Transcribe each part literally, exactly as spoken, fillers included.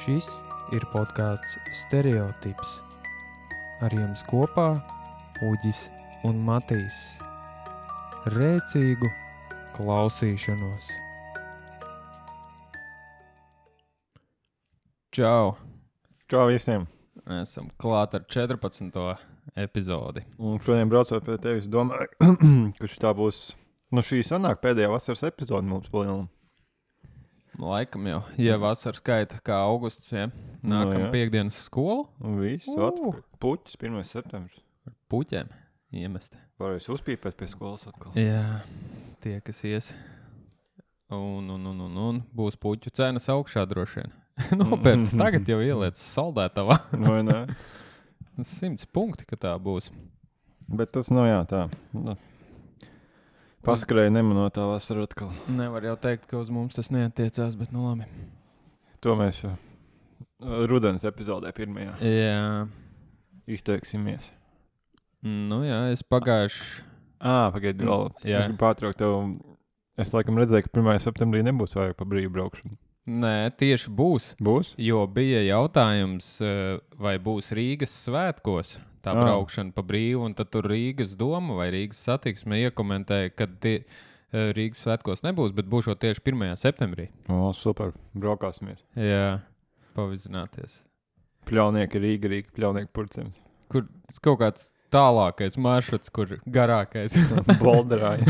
Šis ir podcasts Stereotips. Ar jums kopā Uģis un Matīs. Rēcīgu klausīšanos. Čau! Čau visiem! Esam klāt ar četrpadsmito epizodi. Un šodien braucot pie tevis domāju, ka šitā būs, nu šī sanāk pēdējā vasaras epizode mums palielinām. Laikam jau, ja vasara skaita kā augusts, ja? Nākam Nu, jā. piekdienas skolu. Un viss, Uh. atpakaļ. Puķis, pirmais septembris. Ar puķiem iemest. Varēs uzpīpēt pie skolas atkal. Jā, tie, kas ies. Un, un, un, un, un būs puķu cenas augšā droši vien. Nopērts tagad jau ieliec saldētavā. Vai ne? Simts punkti, ka tā būs. Bet tas nav jā tā. Nu, paskrēja nemanotā vasara atkal. Nevar jau teikt, ka uz mums tas neatiecās, bet nu labi. To mēs jau rudens epizodē pirmajā Jā, izteiksimies. nu jā, es pagājuši... Ā, pagaidi vēl. Jā. Es gribu pārtraukt tev. Es laikam redzēju, ka pirmajā septembrī nebūs vajag pa brīvu braukšanu. Nē, tieši būs. Būs? Jo bija jautājums, eh, vai būs Rīgas svētkos tā Ah. braukšana pa brīvu, un tad tur Rīgas doma vai Rīgas satiksme iekomentēja, ka tie, eh, Rīgas svētkos nebūs, bet būs tieši pirmajā septembrī. O, super. Braukāsimies. Jā, pavizināties. Pļaunieki Rīga, Rīga, pļaunieki Purcems. Kur kaut kāds tālākais maršruts, kur garākais. Bolderāji.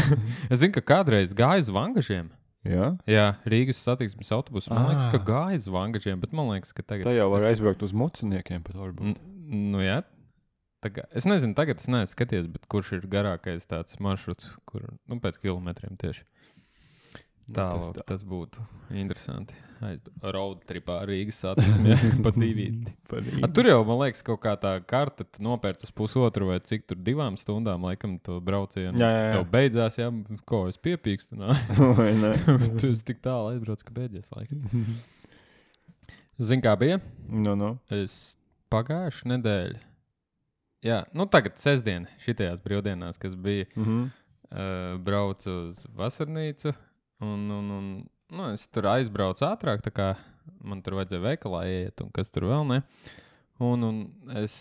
Es zinu, ka kādreiz gāju uz Vangažiem. Jā? Jā, Rīgas satiksmes autobusu. Man liekas, Ah. ka gāju uz Vangažiem, bet man liekas, ka tagad... Tā jau var es- aizbraukt uz muciniekiem pat varbūt. N- Nu jā, Tagad, es nezinu, tagad es neesmu skaties, bet kurš ir garākais tāds maršruts, kur, nu, pēc kilometriem tieši. Tālāk, tas tā. tas būtu interesanti. Road tripā Rīgas satiksmē pa divīti. A, tur jau, man liekas, kaut kā tā karta tu nopērc uz pusotru vai cik tur divām stundām, laikam, to braucienu. Jā, jā, jā. Tev beidzās, jā, ko es piepīkstu, nā. Vai ne? Tu esi tik tālu aizbrauc, ka beidzies laikam. Zini, kā bija? Nu, nu. Es pagājušu nedēļu. Jā, nu tagad sestdien, šitajās brīvdienās, kas bija, Mhm. uh, braucu uz vasarnīcu, un, un, un nu, es tur aizbraucu ātrāk, tā kā man tur vajadzēja veikalā iet, un kas tur vēl ne. Un, un es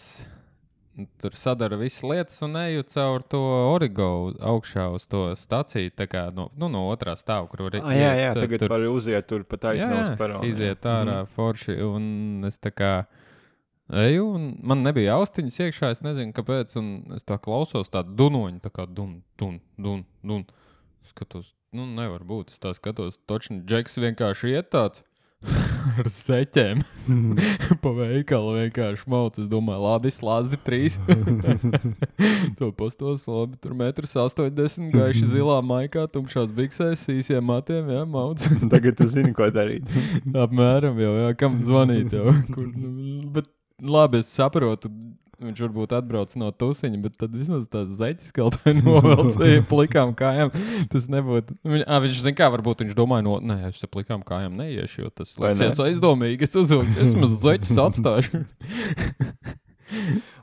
tur sadaru visas lietas un eju caur to Origo augšā uz to staciju, tā kā no, nu, no otrā stāva, kur var Ah, jā, jā, iet, tagad tur- var uziet tur pa taisno uz peronu. iziet jā. ārā forši, un es tā kā eju, un man nebija austiņas iekšā, es nezinu, kāpēc, un es tā klausos tādu dunoņu, tā kā dun, dun, dun, dun. Skatos, nu nevar būt, es tā skatos, točni Džeks vienkārši iet tāds ar seķēm pa veikalu vienkārši mauc, es domāju, labi, slāzdi trīs. To postos, labi, tur metrs astoņdesmit, gaiši zilā maikā, tumšās biksēs, īsiem matiem, jā, mauc. Tagad tu zini, ko darīt. Apmēram jau, jā, kam zvanīt jau. Kur, nu, bet labi, es saprotu, viņš varbūt atbrauc no tusiņa, bet tad vismaz tās zeķis kaut vai novelc vai plikām kājām. Tas nebūtu. Viņ, ā, viņš zin kā, varbūt viņš domāja, no, nē, es ar plikām kājām neiešu, jo tas Vai liekas ne? aizdomīgi, es uzvilku, es maz zeķis atstāšu.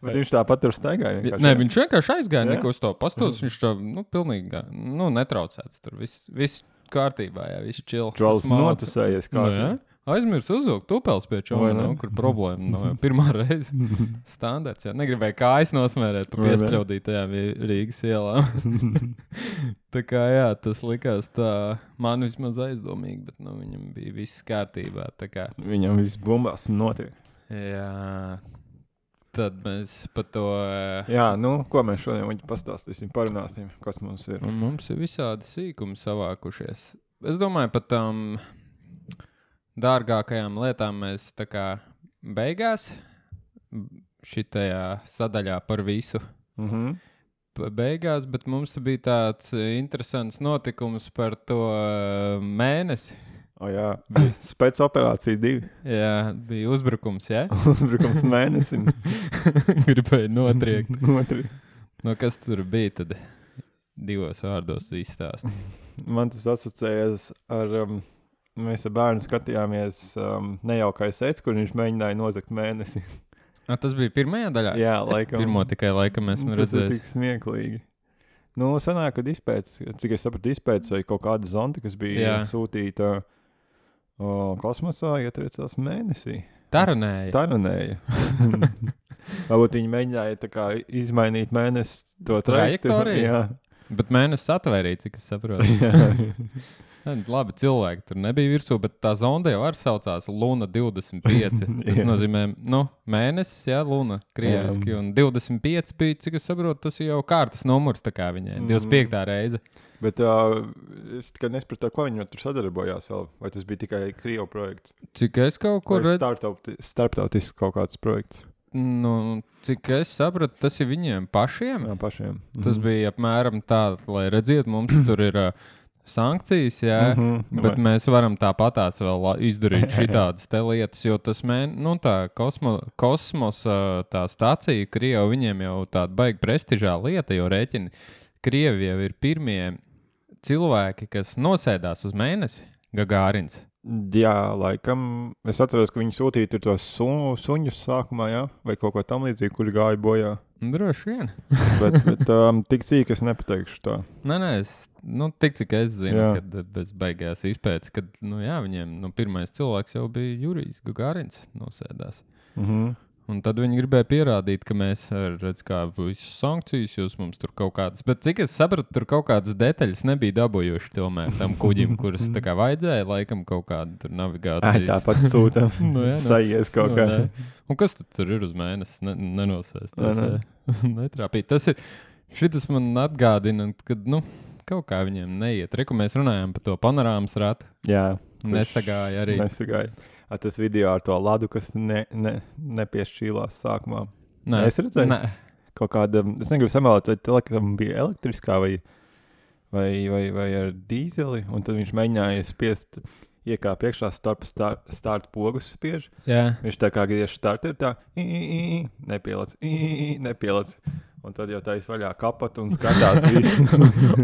Bet viņš tāpat tur staigāja. vienkārši, Nē, jā? viņš vienkārši aizgāja, Jā? neko uz to pastos, viņš tā, nu, pilnīgi, gā- nu, netraucēts tur, viss, viss kārtībā, jā, viss chill. Čalis Smalki. notusējies kā. Nu, jā. Aizmirs uzvilkt tupels pie Vai čoma, ne? nav, kur problēma. Nav jau pirmā reize. Standarts, jā. Negribēju kājas nosmērēt pa Vai ne? piespļaudītajām Vi- Rīgas ielām. Tā kā jā, tas likās tā, man vismaz aizdomīgi, bet nu, viņam bija viss kārtībā. Tā kā, Viņam viss bumbās notiek. jā, tad mēs pa to... eh, Jā, nu, ko mēs šodien viņi pastāstīsim, parunāsim, kas mums ir. Un mums ir visādi sīkumi savākušies. Es domāju, pat tām dārgākajām lietām mēs tā kā beigās šitajā sadaļā par visu Mhm. pa- beigās, bet mums bija tāds interesants notikums par to uh, mēnesi. O jā, spēcoperācija divi. Jā, bija uzbrukums, jā? Uzbrukums mēnesim. Gribēju notriekt. Otri. No kas tur bija tad divos vārdos izstāst? Man tas asociējas ar, um, mēs ar bērnu skatījāmies um, nejaukais ec, kur viņš mēģināja nozagt mēnesi. A, tas bija pirmajā daļā? Jā, Es laikam. Pirmo tikai laikam esmu Tas ir redzējis. tik smieklīgi. Nu, sanāk, kad izpēc, cik es sapratu, izpēc vai kaut kāda zonta, kas bija Jā. sūtīta o, kosmosā, ietriecās mēnesī. Tarunēja. Tarunēja. Varbūt viņi mēģināja tā kā izmainīt mēnesi to trajektoriju. Jā. Bet mēnesis atvērīja, cik es saprotu. Labi, cilvēki tur nebija virsū, bet tā zonda jau arī saucās Luna divdesmit pieci. Tas nozīmē, nu, mēnesis, jā, Luna, krieviski. Jā. Un divdesmit pieci bija, cik es saprotu, tas jau kārtas numurs tā kā viņai. divdesmit piekta reize. Bet uh, es tikai nespratu, ko viņi tur sadarbojās vēl. Vai tas bija tikai Krievu projekts? Cik es kaut kur... Vai starptauti, starptautisks kaut kāds projekts? Nu, cik es sapratu, tas ir viņiem pašiem. Jā, pašiem. Tas mm-hmm. bija apmēram tā, lai redziet, mums tur ir uh, sankcijas, jā, mm-hmm. bet mēs varam tāpatās vēl izdarīt šitādas te lietas, jo tas mēn, nu tā kosmo, kosmosa tā stācija Krieva, viņiem jau tāda baigi prestižā lieta, jo rēķini Krievi jau ir pirmie cilvēki, kas nosēdās uz mēnesi, Gagārins. Jā, laikam. Es atceros, ka viņi sūtīja tur tos su, suņus sākumā, jā? Vai kaut ko tam līdzīgi, kuri gāja bojā. Droši vien. bet bet um, tik cīk es nepateikšu tā. Nē, nē, es, nu, tik cik es zinu, jā. kad bez beigās izpētes, kad, nu jā, viņiem, nu, pirmais cilvēks jau bija Jurijs Gagārins nosēdās. Mhm. Un tad viņi gribēja pierādīt, ka mēs, redz, kā visas sankcijas, jūs mums tur kaut kādas, bet cik es sapratu, tur kaut kādas detaļas nebija dabūjuši tomēr tam kuģim, kuras tā kā vajadzēja, laikam kaut kādu tur navigācijas. Ai, tāpat sūtam, nu, jā, sajies kaut nu, kā. Ne. Un kas tu tur ir uz mēnesi? Ne, nenosēsties, ne, ne. Netrāpīt. Tas ir, šitas man atgādina, kad, nu, kaut kā viņiem neiet. Reku mēs runājām par to panorāmas ratu. Jā. Nesagāja arī. Nesagāja. A, tas video ar to ladu, kas ne, ne, nepiešķīlās sākumā. Nē, es redzēju, nē. Kaut kāda, es negribu samalot, vai telekam bija elektriskā vai, vai, vai, vai ar dīzeli, un tad viņš mēģināja spiest iekāp iekšā starp start, start pogus spiež. Jā. Viņš tā kā griež starter tā, i, i, i, nepielec, i, i, nepielec. Un tad jau tais vaļā kapat un skatās visu.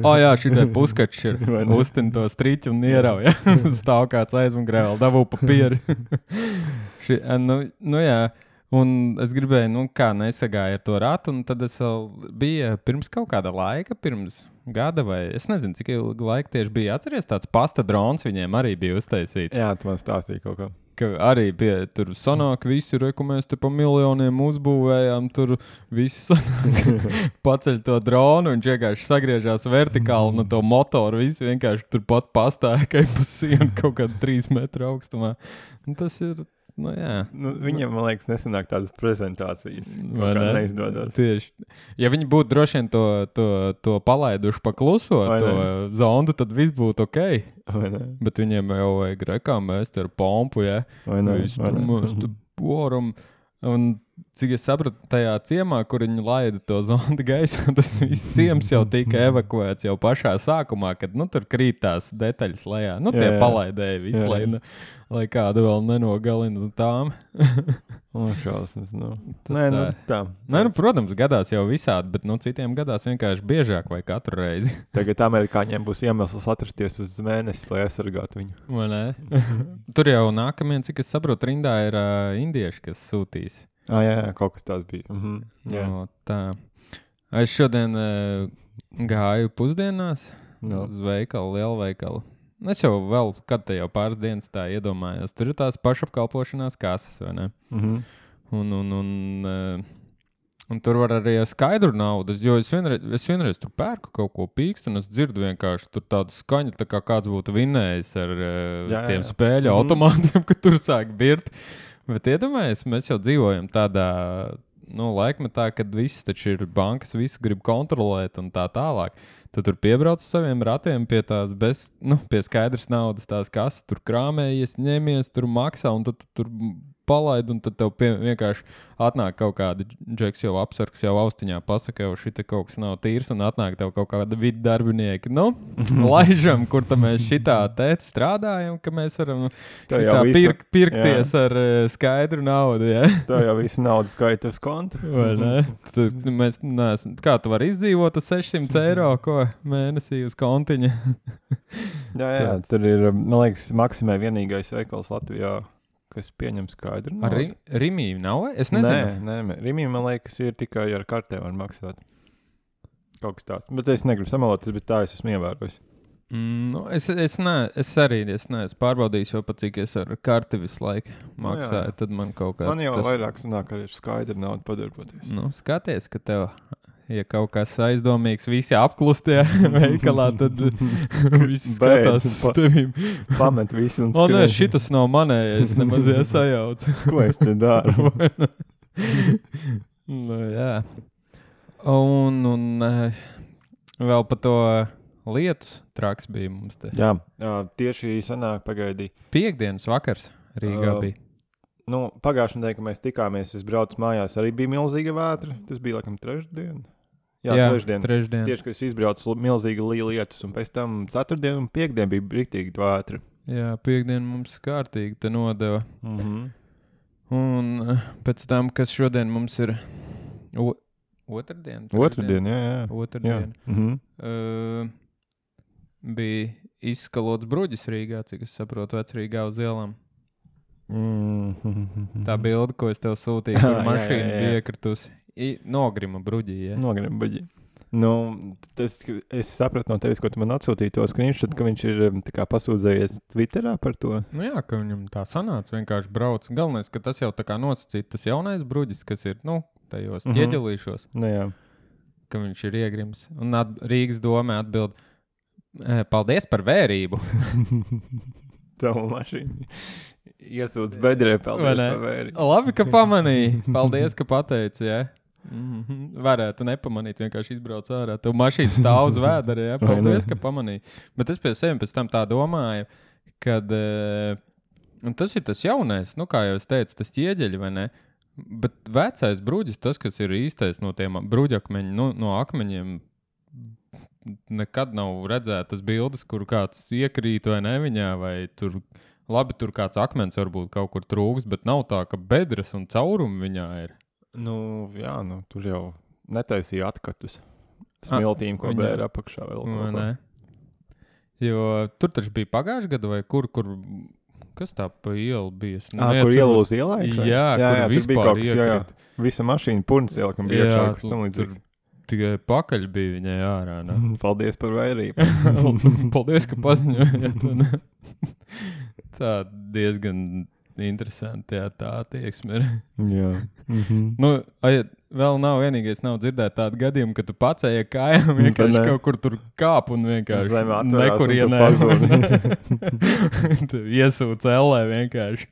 O jā, šitai puskačs ir uztin to striķu un ierauja. Stāv kāds aizmugurē vēl dabū papīri. Ši, nu, nu jā, un es gribēju, nu kā nesagāju ar to ratu, un tad es vēl bija pirms kaut kāda laika, pirms gada vai, es nezinu, cik ilgi laika tieši bija. Atceries, tāds pasta drons viņiem arī bija uztaisīts. Jā, tu man stāstīji kaut kā. Ka arī pie, tur sanāk visi, reku mēs te pa miljoniem uzbūvējām, tur visi sanāk, paceļ to dronu un vienkārši sagriežās vertikāli no to motoru, visi vienkārši tur pat pastāja, ka pa sienu kaut kādu trīs metru augstumā. Un tas ir, nu jā. Nu, viņiem, man liekas, nesanāk tādas prezentācijas, kaut kā neizdodas. Tieši. Ja viņi būtu droši vien to, to, to palaiduši pa kluso, Vai to ne? zondu, tad viss būtu ok. Vai ne? Bet viņiem jau vajag rekā mēs te ar pompu, ja? Vai ne? Visu Vai tur ne? mēs te boram. Un cik es sapratu, tajā ciemā, kur viņi laida to zondi gaisā, tas viss ciems jau tika evakuēts jau pašā sākumā, kad, nu, tur krīt tās detaļas lejā. Nu, tie Jā, jā. palaidēja visu, Jā, jā. lai, ne, lai kādu vēl nenogalina tām. O, šausmas, nu. Tas Nē, nu, tā. tā. Nē, nu, protams, gadās jau visādi, bet, nu, citiem gadās vienkārši biežāk vai katru reizi. Tagad amerikāņiem būs iemesls atrasties uz mēnesi, lai aizsargātu viņu. Vai ne? Tur jau nākamie, cik es saprotu, rindā ir uh, indieši, kas sūtīs. Ah, jā, jā, kaut kas tāds bija. Mhm. Jā. No, tā. Es šodien uh, gāju pusdienās No. uz veikalu, lielu veikalu. Es jau vēl, kad te jau pāris dienas tā iedomājos, tur ir tās pašapkalpošanās kases, vai ne? Mhm. Un, un, un, uh, un tur var arī skaidru naudu, jo es vienreiz, es vienreiz tur pērku kaut ko pīkstu, un es dzirdu vienkārši tur tādu skaņu, tā kā kāds būtu vinnējis ar uh, Jā, jā, tiem jā. spēļu Mhm. automātiem, ka tur sāk birt. Bet iedomājies, mēs jau dzīvojam tādā, nu, laikmetā, kad viss taču ir bankas, visu grib kontrolēt un tā tālāk. Tu tur piebrauc saviem ratiem pie tās bez, nu, pie skaidras naudas tās kases, tur krāmējies, ņemies, tur maksā un tad tu tur palaid un tad tev pie, vienkārši atnāk kaut kāda džeks jau apsargs, jau austiņā pasaka, jau šita kaut kas nav tīrs un atnāk tev kaut kāda vidu darbinieki. Nu, laižam, kur tam mēs šitā tēt strādājam, ka mēs varam Tev jau šitā visu- pirk, pirkties ar uh, skaidru naudu, ja? Tā jau visu naudu skaita uz konta. Vai ne? Tad mēs neesam, kā tu vari izdzīvot uz sešsimt eiro, ko mēnesī uz kontiņa? Jā, jā, Tāds. tur ir, man liekas, Maksimē vienīgais veikals Latvijā, kas pieņem skaidru Ar naudu. ri, Rimī nav? Es nezinu. Nē, nē, Rimī, man liekas, ir tikai ar kartēm var maksāt. Kaut kas tāds. Bet es negribu samalot, bet tā es esmu ievērojis. Mm, nu, es, es, ne, es arī es neesmu pārbaudījis, jo pat cik es ar karti visu laiku maksāju, Nu, tad man kaut kā Man jau tas... vairāk sanāk, ka ir skaidri naudu padarboties. Nu, skaties, ka tev, ja kaut kas aizdomīgs, visi apklustie veikalā, tad visi skatās uz tevīm. Pamet visu un O, nē, skrien. šitas nav manējais, nemaz iesajaucu. Ko es te daru? Nu, jā. Un, un eh, vēl par to lietu traks bija mums te. Jā, jā, tieši sanāk pagaidī. Piektdienas vakars Rīgā Uh, bija. Nu, pagājušajā nedēļā, kad mēs tikāmies, es braucu mājās, arī bija milzīga vētra. Tas bija laikam trešdien. Jā, Jā, trešdien. trešdien. Tieši, kad es izbraucu, milzīga liela lietus, un pēc tam ceturtdien un piekdien bija brītīgi vētra. Jā, piektdien mums kārtīgi te nodeva. Mhm. Un eh, pēc tam, kas šodien mums ir o, otrdien? Otradien, jā, jā. jā. Otrdien. Mhm. Uh, bija izskalots bruģis Rīgā, cik es saprotu, vecrīgā uz ielām. Mhm. Tā bilde, ko es tev sūtīju, kur Jā, mašīna jā, jā. bija iekritusi. I- Nogrima bruģī, ja? Nogrim, baģi. Nu, tas, es sapratu no tevis, ko tu man atsūtīji to screenshot, ka viņš ir um, tā kā pasūdzējies Twitterā par to. Nu jā, ka viņam tā sanāca, vienkārši brauc. Galvenais, ka tas jau tā kā nosacīt, tas jaunais bruģis, kas ir, nu, tajos Mhm. ķieģelīšos, Nu, jā. ka viņš ir iegrims. Un at, Rīgas domē atbild, "Eh, paldies par vērību. Tavu mašīnu iesūdz bedrē, Vai paldies ne? par vēri. Labi, ka pamanīji. Paldies, ka pateici, jā. Mm-hmm. Varētu nepamanīt, vienkārši izbrauc ārā. Tev mašīna stāv uz vēdera, jā. Vai ne? Paldies, ka pamanīji. Bet es pie sevi pēc tam tā domāju, kad uh, tas ir tas jaunais, nu kā jau es teicu, tas ķieģeļi, vai ne? Bet vecais bruģis, tas, kas ir īstais no tiem bruģakmeņiem, nu, no akmeņiem, nekad nav redzētas bildes, kur kāds iekrīt vai ne viņā, vai tur, labi, tur kāds akmens varbūt kaut kur trūks, bet nav tā, ka bedres un caurumi viņā ir. Nu, jā, nu, tur jau netaisīja atkatus. Smiltīm, ko viņa- bēra apakšā vēl. Vai kaut ko. ne? Jo tur taču bija pagājušajā gadā, vai kur, kur, kas tā pa ielu bija? Es Ā, kur ielu uz ielai? Jā, jā, kur jā, tur bija vispār kaut kas, jā, jā. iekrita. Visa mašīna purns iela, kam bija Jā, iekšā, kas tam tur- līdzīgs. Tikai pakaļ bija viņai ārā. Ne? Paldies par vērību. Paldies, ka paziņojāt. un Tā diezgan interesanti, jā, tā attieksme ir. jā. Mhm. Nu, ai, vēl nav vienīgais, nav dzirdēt tādu gadījumu, ka tu pats ej ar kājām, vienkārši ne. kaut kur tur kāp un vienkārši Zeme atverās un tu nekurienē. Tu iesūc ellē vienkārši.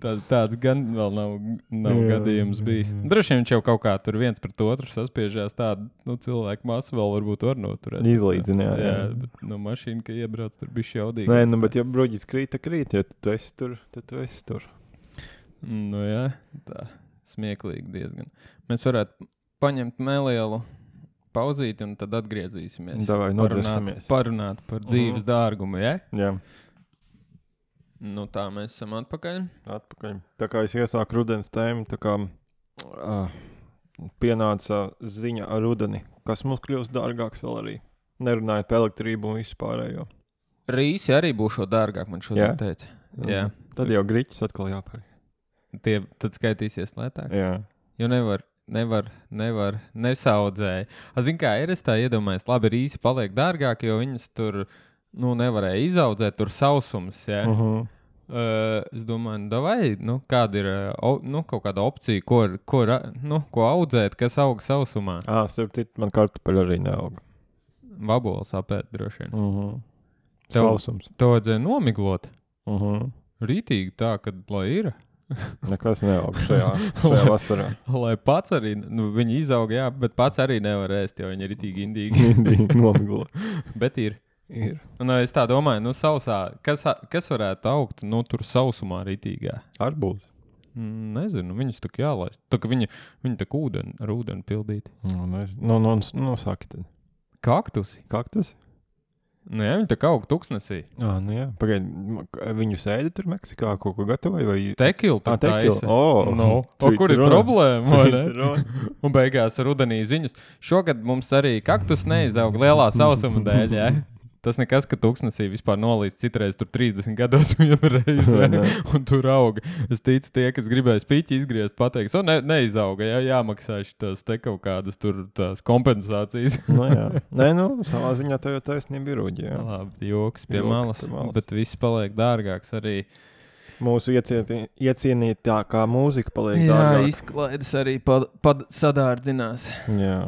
Tā, tāds gan vēl nav, nav Jā, gadījums jā, bijis. jā. Droši vien viņš jau kaut kā tur viens pret otru saspiežās tādu, nu, cilvēku masu vēl varbūt var noturēt. Izlīdzina, jā, Jā, jā. bet no mašīna, ka iebrauc, tur bija šaudīgi. Nē, nu, bet ja bruģis krīt, tad krīt. Ja tu esi tur, tad tu esi tur. Nu jā, tā smieklīgi diezgan. Mēs varētu paņemt nelielu pauzīti un tad atgriezīsimies. Davai, parunāt, nodzersimies. parunāt par dzīves dārgumu, ja? Jā, Nu tā mēs esam atpakaļ. atpakaļ. Tā kā es iesāku rudens tēmu, tā kā uh, pienāca ziņa ar rudeni, kas mums kļūst dārgāks vēl arī. Nerunājot par elektrību un visu pārējo. Rīsi arī būšot dārgāk, man šodien Jā? teica. Jā. Tad jau griķis atkal jāpērk. Tie tad skaitīsies lētāk. Jā. Jo nevar, nevar, nevar, nesaudzēja. A, zin kā ir, es tā iedomājos, labi, rīsi paliek dārgāk, jo viņas tur, nu, nevarēja izaudzēt, tur sausums, jā. Uh -huh. Uh, es domāju, nu, vai, nu, kāda ir uh, o, nu, kaut kāda opcija, ko, ko, ra- nu, ko audzēt, kas aug sausumā. Ā, starp citu, man kartupeļu arī neaug. Vabols apēt droši vien. Uh -huh. Tev- Sausums. To vajadzēja nomiglot. Uh -huh. Rītīgi tā, kad lai ir. Nekas neaug šajā, šajā vasarā. Lai pats arī, nu, viņi izauga, jā, bet pats arī nevar ēst, jo viņi ir rītīgi indīgi. Indīgi nomiglo. Bet ir. Ir. Un es tā domāju, nu, sausā, kas, kas varētu augt, nu, tur sausumā rītīgā? Arbūz. Mm, nezinu, viņus tā kā jālaist. Tā kā viņi, viņi tā kā ūdeni, ar ūdeni pildīti. Nu, nezinu. Nu, nu, nu, saki tad. Kaktusi. Kaktus? Nu, jā, viņi tā kā aug tuksnesī. Ā, nu jā. Pagaid, viņu sēdi tur Meksikā, kaut ko gatavoja vai... Tekilu Ā, tā tekila. taisa. O, No. O, kur ir citrona. problēma, vai ne? Citrona. Un beigās rudenī ziņas. Šogad mums arī kaktus neizaug lielā sausuma dēļ, jā? tas nekas, ka tūkstnesī vispār nolīdz citreiz tur trīsdesmit gados vienu reizi, un tur auga. Es ticu, tie, kas gribēja spiķi izgriezt, pateiks, o, ne, neizauga, jā, jāmaksā šitas te kaut kādas tur tās kompensācijas. Nu, jā. Nē, nu, savā ziņā tev jau taisnība ir uģi, jā. Labi, joks pie Joks malas, pie malas. bet viss paliek dārgāks arī. Mūsu iecieti, iecienītākā mūzika paliek Jā, dārgāk. izklaides arī pad, pad sadārdzinās. Jā.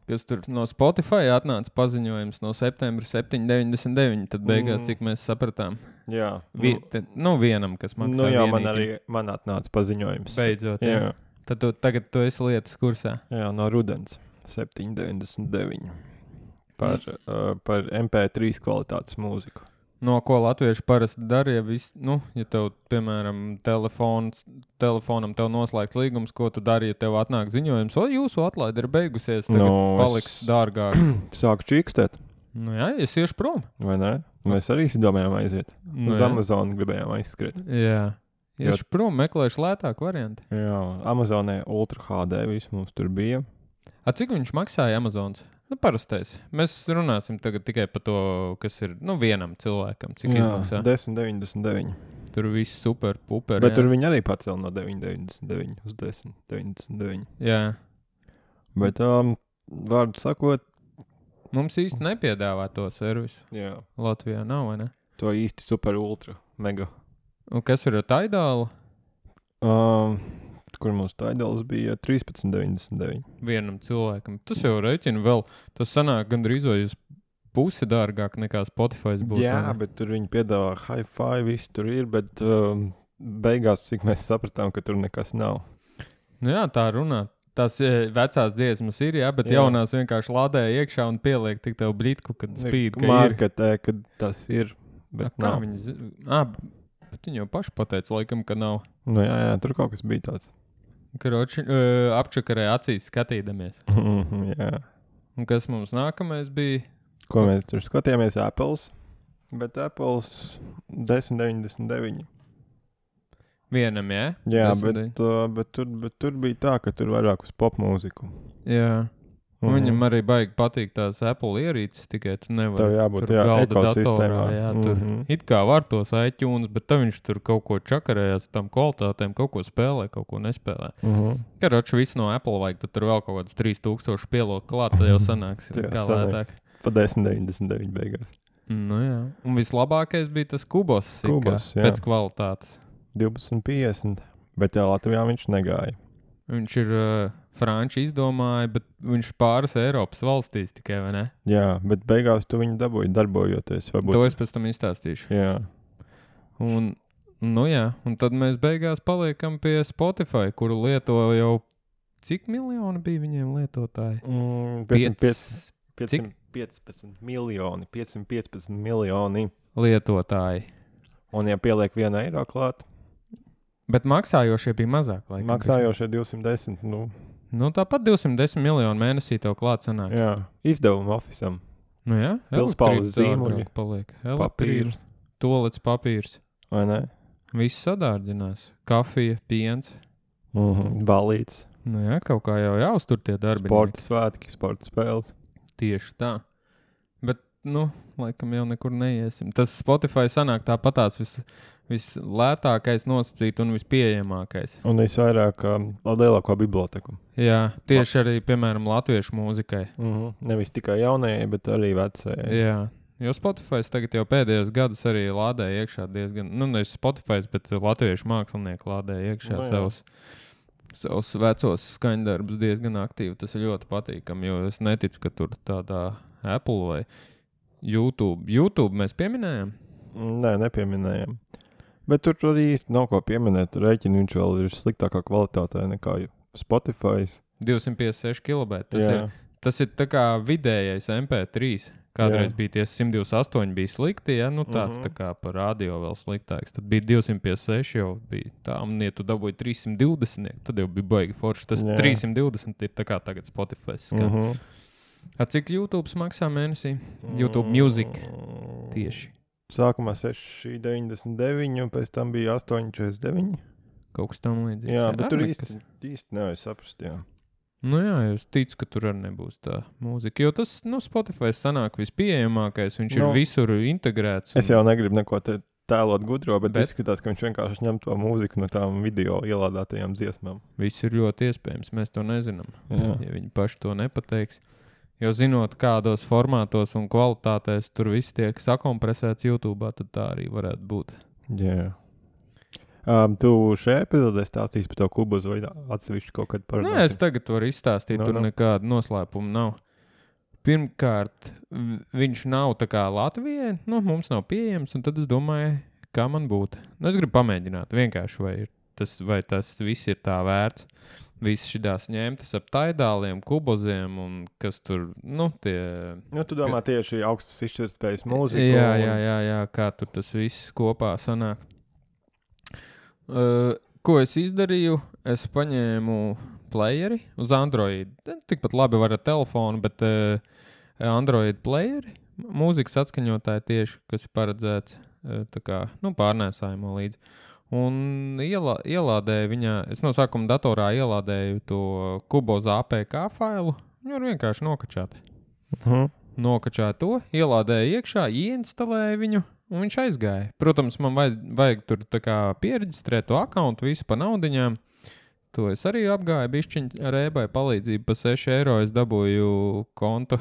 Kas tur no Spotify atnāca paziņojums no septembra septiņi deviņdesmit deviņi, tad beigās, Mm. cik mēs sapratām. Jā. Vi, te, nu, vienam, kas maksā Nu jā, man vienītim. arī man atnāca paziņojums. Beidzot, jā. Jā. Tad tu, tagad tu esi lietas kursā. Jā, no rudens. septiņi deviņdesmit deviņi. Par, Mm. uh, par M P trīs kvalitātes mūziku. No ko latvieši parasti dara, ja, vis, nu, ja tev, piemēram, telefons, telefonam tev noslēgts līgums, ko tu dari, ja tev atnāk ziņojums, o, jūsu atlaide ir beigusies, tagad No, paliks es- dārgāks. Sāku čīkstēt, Nu jā, es iešu prom. vai ne? Mēs arī domājām aiziet. Nu, Uz jā. Amazonu gribējām aizskriet. Jā. Jo- Iešu prom, meklēšu lētāku variantu. Jā, Amazonē Ultra H D viss mums tur bija. A, cik viņš maksāja Amazons? Nu, parastais. Mēs runāsim tagad tikai par to, kas ir, nu, vienam cilvēkam, cik Jā, izmaksā. desmit deviņdesmit deviņi. Tur viss super, puper. Bet jā. tur viņi arī pacēla no deviņi deviņdesmit deviņi uz desmit deviņdesmit deviņi. Jā. Bet, um, vārdu sakot, Mums īsti nepiedāvā to servisu. jā, Latvijā nav, vai ne? to īsti super ultra mega. Un kas ir ar Tidālu? Um, kur mums Tidals bija trīspadsmit deviņdesmit deviņi. Vienam cilvēkam. Tas jau rēķina vēl. Tas sanāk gandrīz vai uz pusi dārgāk nekā Spotify būtu. Jā, vai ne? bet tur viņi piedāvā hi-fi, viss tur ir, bet um, beigās, cik mēs sapratām, ka tur nekas nav. Nu jā, tā runā. Tās e, vecās dziesmas ir, jā, bet Jā. jaunās vienkārši lādēja iekšā un pieliek tik tev blitku, kad spīd, ka ir. Marketē, kad tas ir, bet A, kā nav. viņi zi... Ā, bet viņi jau paši pateica, laikam, ka nav. Nu jā, jā, tur kaut kas bija tāds. Karoči, uh, apčakarē acīs skatīdamies. jā. Un kas mums nākamais bija? Ko mēs tur skatījāmies? Apples, bet Apples desmit deviņdesmit deviņi. Vienam, jā? Jā, Desmit bet, uh, bet, tur, bet tur bija tā, ka tur vairāk uz pop mūziku. Jā. Un Mhm. viņam arī baigi patīk tās Apple ierīces, tikai tu nevari. Tev jābūt, tur jā, galda datorā, ekosistēmā. jā, tur Mhm. it kā var tos iTunes, bet tad viņš tur kaut ko čakarējās, tam kvalitātēm kaut ko spēlē, kaut ko nespēlē. Mhm. Karoči, visu no Apple vajag, tad tur vēl kaut kāds trīs tūkstoši pielok klāt, tad jau sanāks Jā, kā sanāks. lētāk. Pa desmit deviņdesmit deviņi beigās. Nu jā. Un vislabākais bija tas kubos, it kā, Kubos, jā. pēc kvalitātes. divdesmit piecdesmit, bet jā, Latvijā viņš negāja. Viņš ir uh, franči izdomāja, bet viņš pāris Eiropas valstīs tikai, vai ne? Jā, bet beigās tu viņu dabūji darbojoties. Varbūt. To es pēc tam izstāstīšu. Jā. Un, nu jā, un tad mēs beigās paliekam pie Spotify, kuru lieto jau cik miljoni bija viņiem lietotāji? Mm, Piec piecsimt piecpadsmit miljoni, piecsimt piecpadsmit miljoni. lietotāji. Un ja pieliek vienu eiro klāt, Bet maksājošie bija mazāk. Laikam, maksājošie divsimt desmit, nu, Nu, tāpat divsimt desmit miljonu mēnesī tev klāt sanāk. jā, izdevumu ofisam. Nu jā, Pilspaules elektrība zīmuļi. dārgāk paliek. Elektrība, Papīrs, tolets papīrs. vai ne? Viss sadārdzinās. Kafija, piens. Mhm. Balīts, Nu jā, kaut kā jau jāuztur tie darbi. sporta svētki, sporta spēles. Tieši tā. Bet, nu, laikam jau nekur neiesim. Tas Spotify sanāk tāpatās vis, vislētākais nosacīt un vispieejamākais. Un visvairāk um, lielāko biblioteku. Jā, tieši arī, piemēram, latviešu mūzikai. Mhm. Nevis tikai jaunajai, bet arī vecajai. Jā, jo Spotify tagad jau pēdējos gadus arī lādēja iekšā diezgan, nu, nevis Spotify, bet latviešu mākslinieki lādēja iekšā Nu jā. savus, savus vecos skaņdarbus diezgan aktīvi. Tas ir ļoti patīkami, jo es neticu, ka tur tādā Apple vai YouTube. YouTube mēs pieminējām? Nē, nepieminējām. Bet tur arī īsti nav ko pieminēt. Rēķini viņš vēl ir sliktākā kvalitātē nekā Spotify. divsimt piecdesmit seši kilobaiti. Tas, Jā. ir, tas ir tā kā vidējais M P trīs. Kādreiz Jā. bija tie simt divdesmit astoņi bija slikti, ja? Nu tāds Mhm. tā kā par radio vēl sliktāks. Tad bija divsimt piecdesmit seši jau bija tā, un ja tu dabūji trīssimt divdesmit, tad jau bija baigi forši. Tas Jā. trīssimt divdesmit ir tā kā tagad Spotify skan. Mhm. A, cik YouTube maksā mēnesī? YouTube Music Mm. tieši. Sākumā seši deviņdesmit deviņi, un pēc tam bija astoņi četrdesmit deviņi. Kaut kas tam līdzīgs. Jā, bet tur arī īsti, īsti nevar saprast. Jā. Nu jā, es ticu, ka tur arī nebūs tā mūzika, jo tas, nu, Spotify sanāk vispieejamākais, viņš Nu, ir visur integrēts. Es jau negribu neko te tēlot gudro, bet, Bet- bet izskatās, ka viņš vienkārši ņem to mūziku no tām video ielādētajām dziesmām. Viss ir ļoti iespējams, mēs to nezinām, Jā. ja viņi paši to nepateiks. Jo zinot, kādos formātos un kvalitātēs tur viss tiek sakompresēts YouTube, tad tā arī varētu būt. Jā. Um, tu šajā epizodē stāstīsi par to kubuzu vai atsevišķi kaut kad par Nē, es tagad varu izstāstīt, No, tur no. nekāda noslēpuma nav. Pirmkārt, v- viņš nav tā kā Latvijai, nu, mums nav pieejams, un tad es domāju, kā man būtu. Nu, es gribu pamēģināt vienkārši, vai, ir tas, vai tas viss ir tā vērts. Viss šitās ņemtas ap taidāliem, kuboziem un kas tur, nu, tie... Nu, tu domā tieši augstas izšķirtspējas mūziku. Jā, un- jā, jā, jā, kā tur tas viss kopā sanāk. Uh, ko es izdarīju? Es paņēmu playeri uz Android. Tikpat labi var ar telefonu, bet uh, Android playeri, mūzikas atskaņotāji tieši, kas ir paredzēts uh, tā kā, nu, pārnēsājumā līdzi. Un ielā, ielādēju viņā, es no sākuma datorā ielādēju to Kuboza A P K failu, viņu var vienkārši nokačāt. Mhm. Nokačāju to, ielādēju iekšā, ieinstalēju viņu, un viņš aizgāja. Protams, man vajag, vajag tur tā kā pieregistrēt to akkauntu visu pa naudiņām. To es arī apgāju, bišķiņ ar ēbai palīdzību pa seši eiro es dabūju kontu.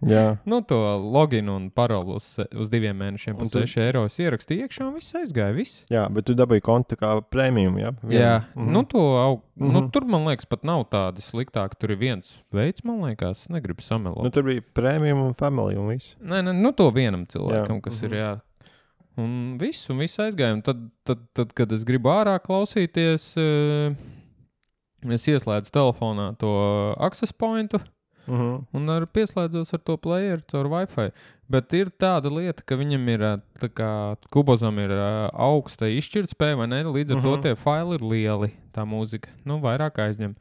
Jā. Nu, to loginu un parolu uz, uz diviem mēnešiem pa Un tu- seši eiro es ierakstīju iekšā un viss aizgāja, viss. Jā, bet tu dabūji kontu kā prēmiju, jā? Vienu. Jā, Mhm. nu, to aug, Mhm. nu, tur man liekas pat nav tādi sliktāki. Tur ir viens veids, man liekas, negribu samelot. Nu, tur bija prēmiju un family un viss. Nē, nē, nu to vienam cilvēkam, Jā, kas mhm. ir jā. Un viss, un viss aizgāja. Un tad, tad, tad, kad es gribu ārā klausīties, uh, es ieslēdzu telefonā to access pointu Mhm. un ar, pieslēdzos ar to playeru caur Wi-Fi. Bet ir tāda lieta, ka viņam ir, ā, tā kā Kubozam ir ā, augsta izšķirtspēja, vai ne? Līdz ar Mhm. to tie faili ir lieli, tā mūzika. Nu, vairāk aizņem.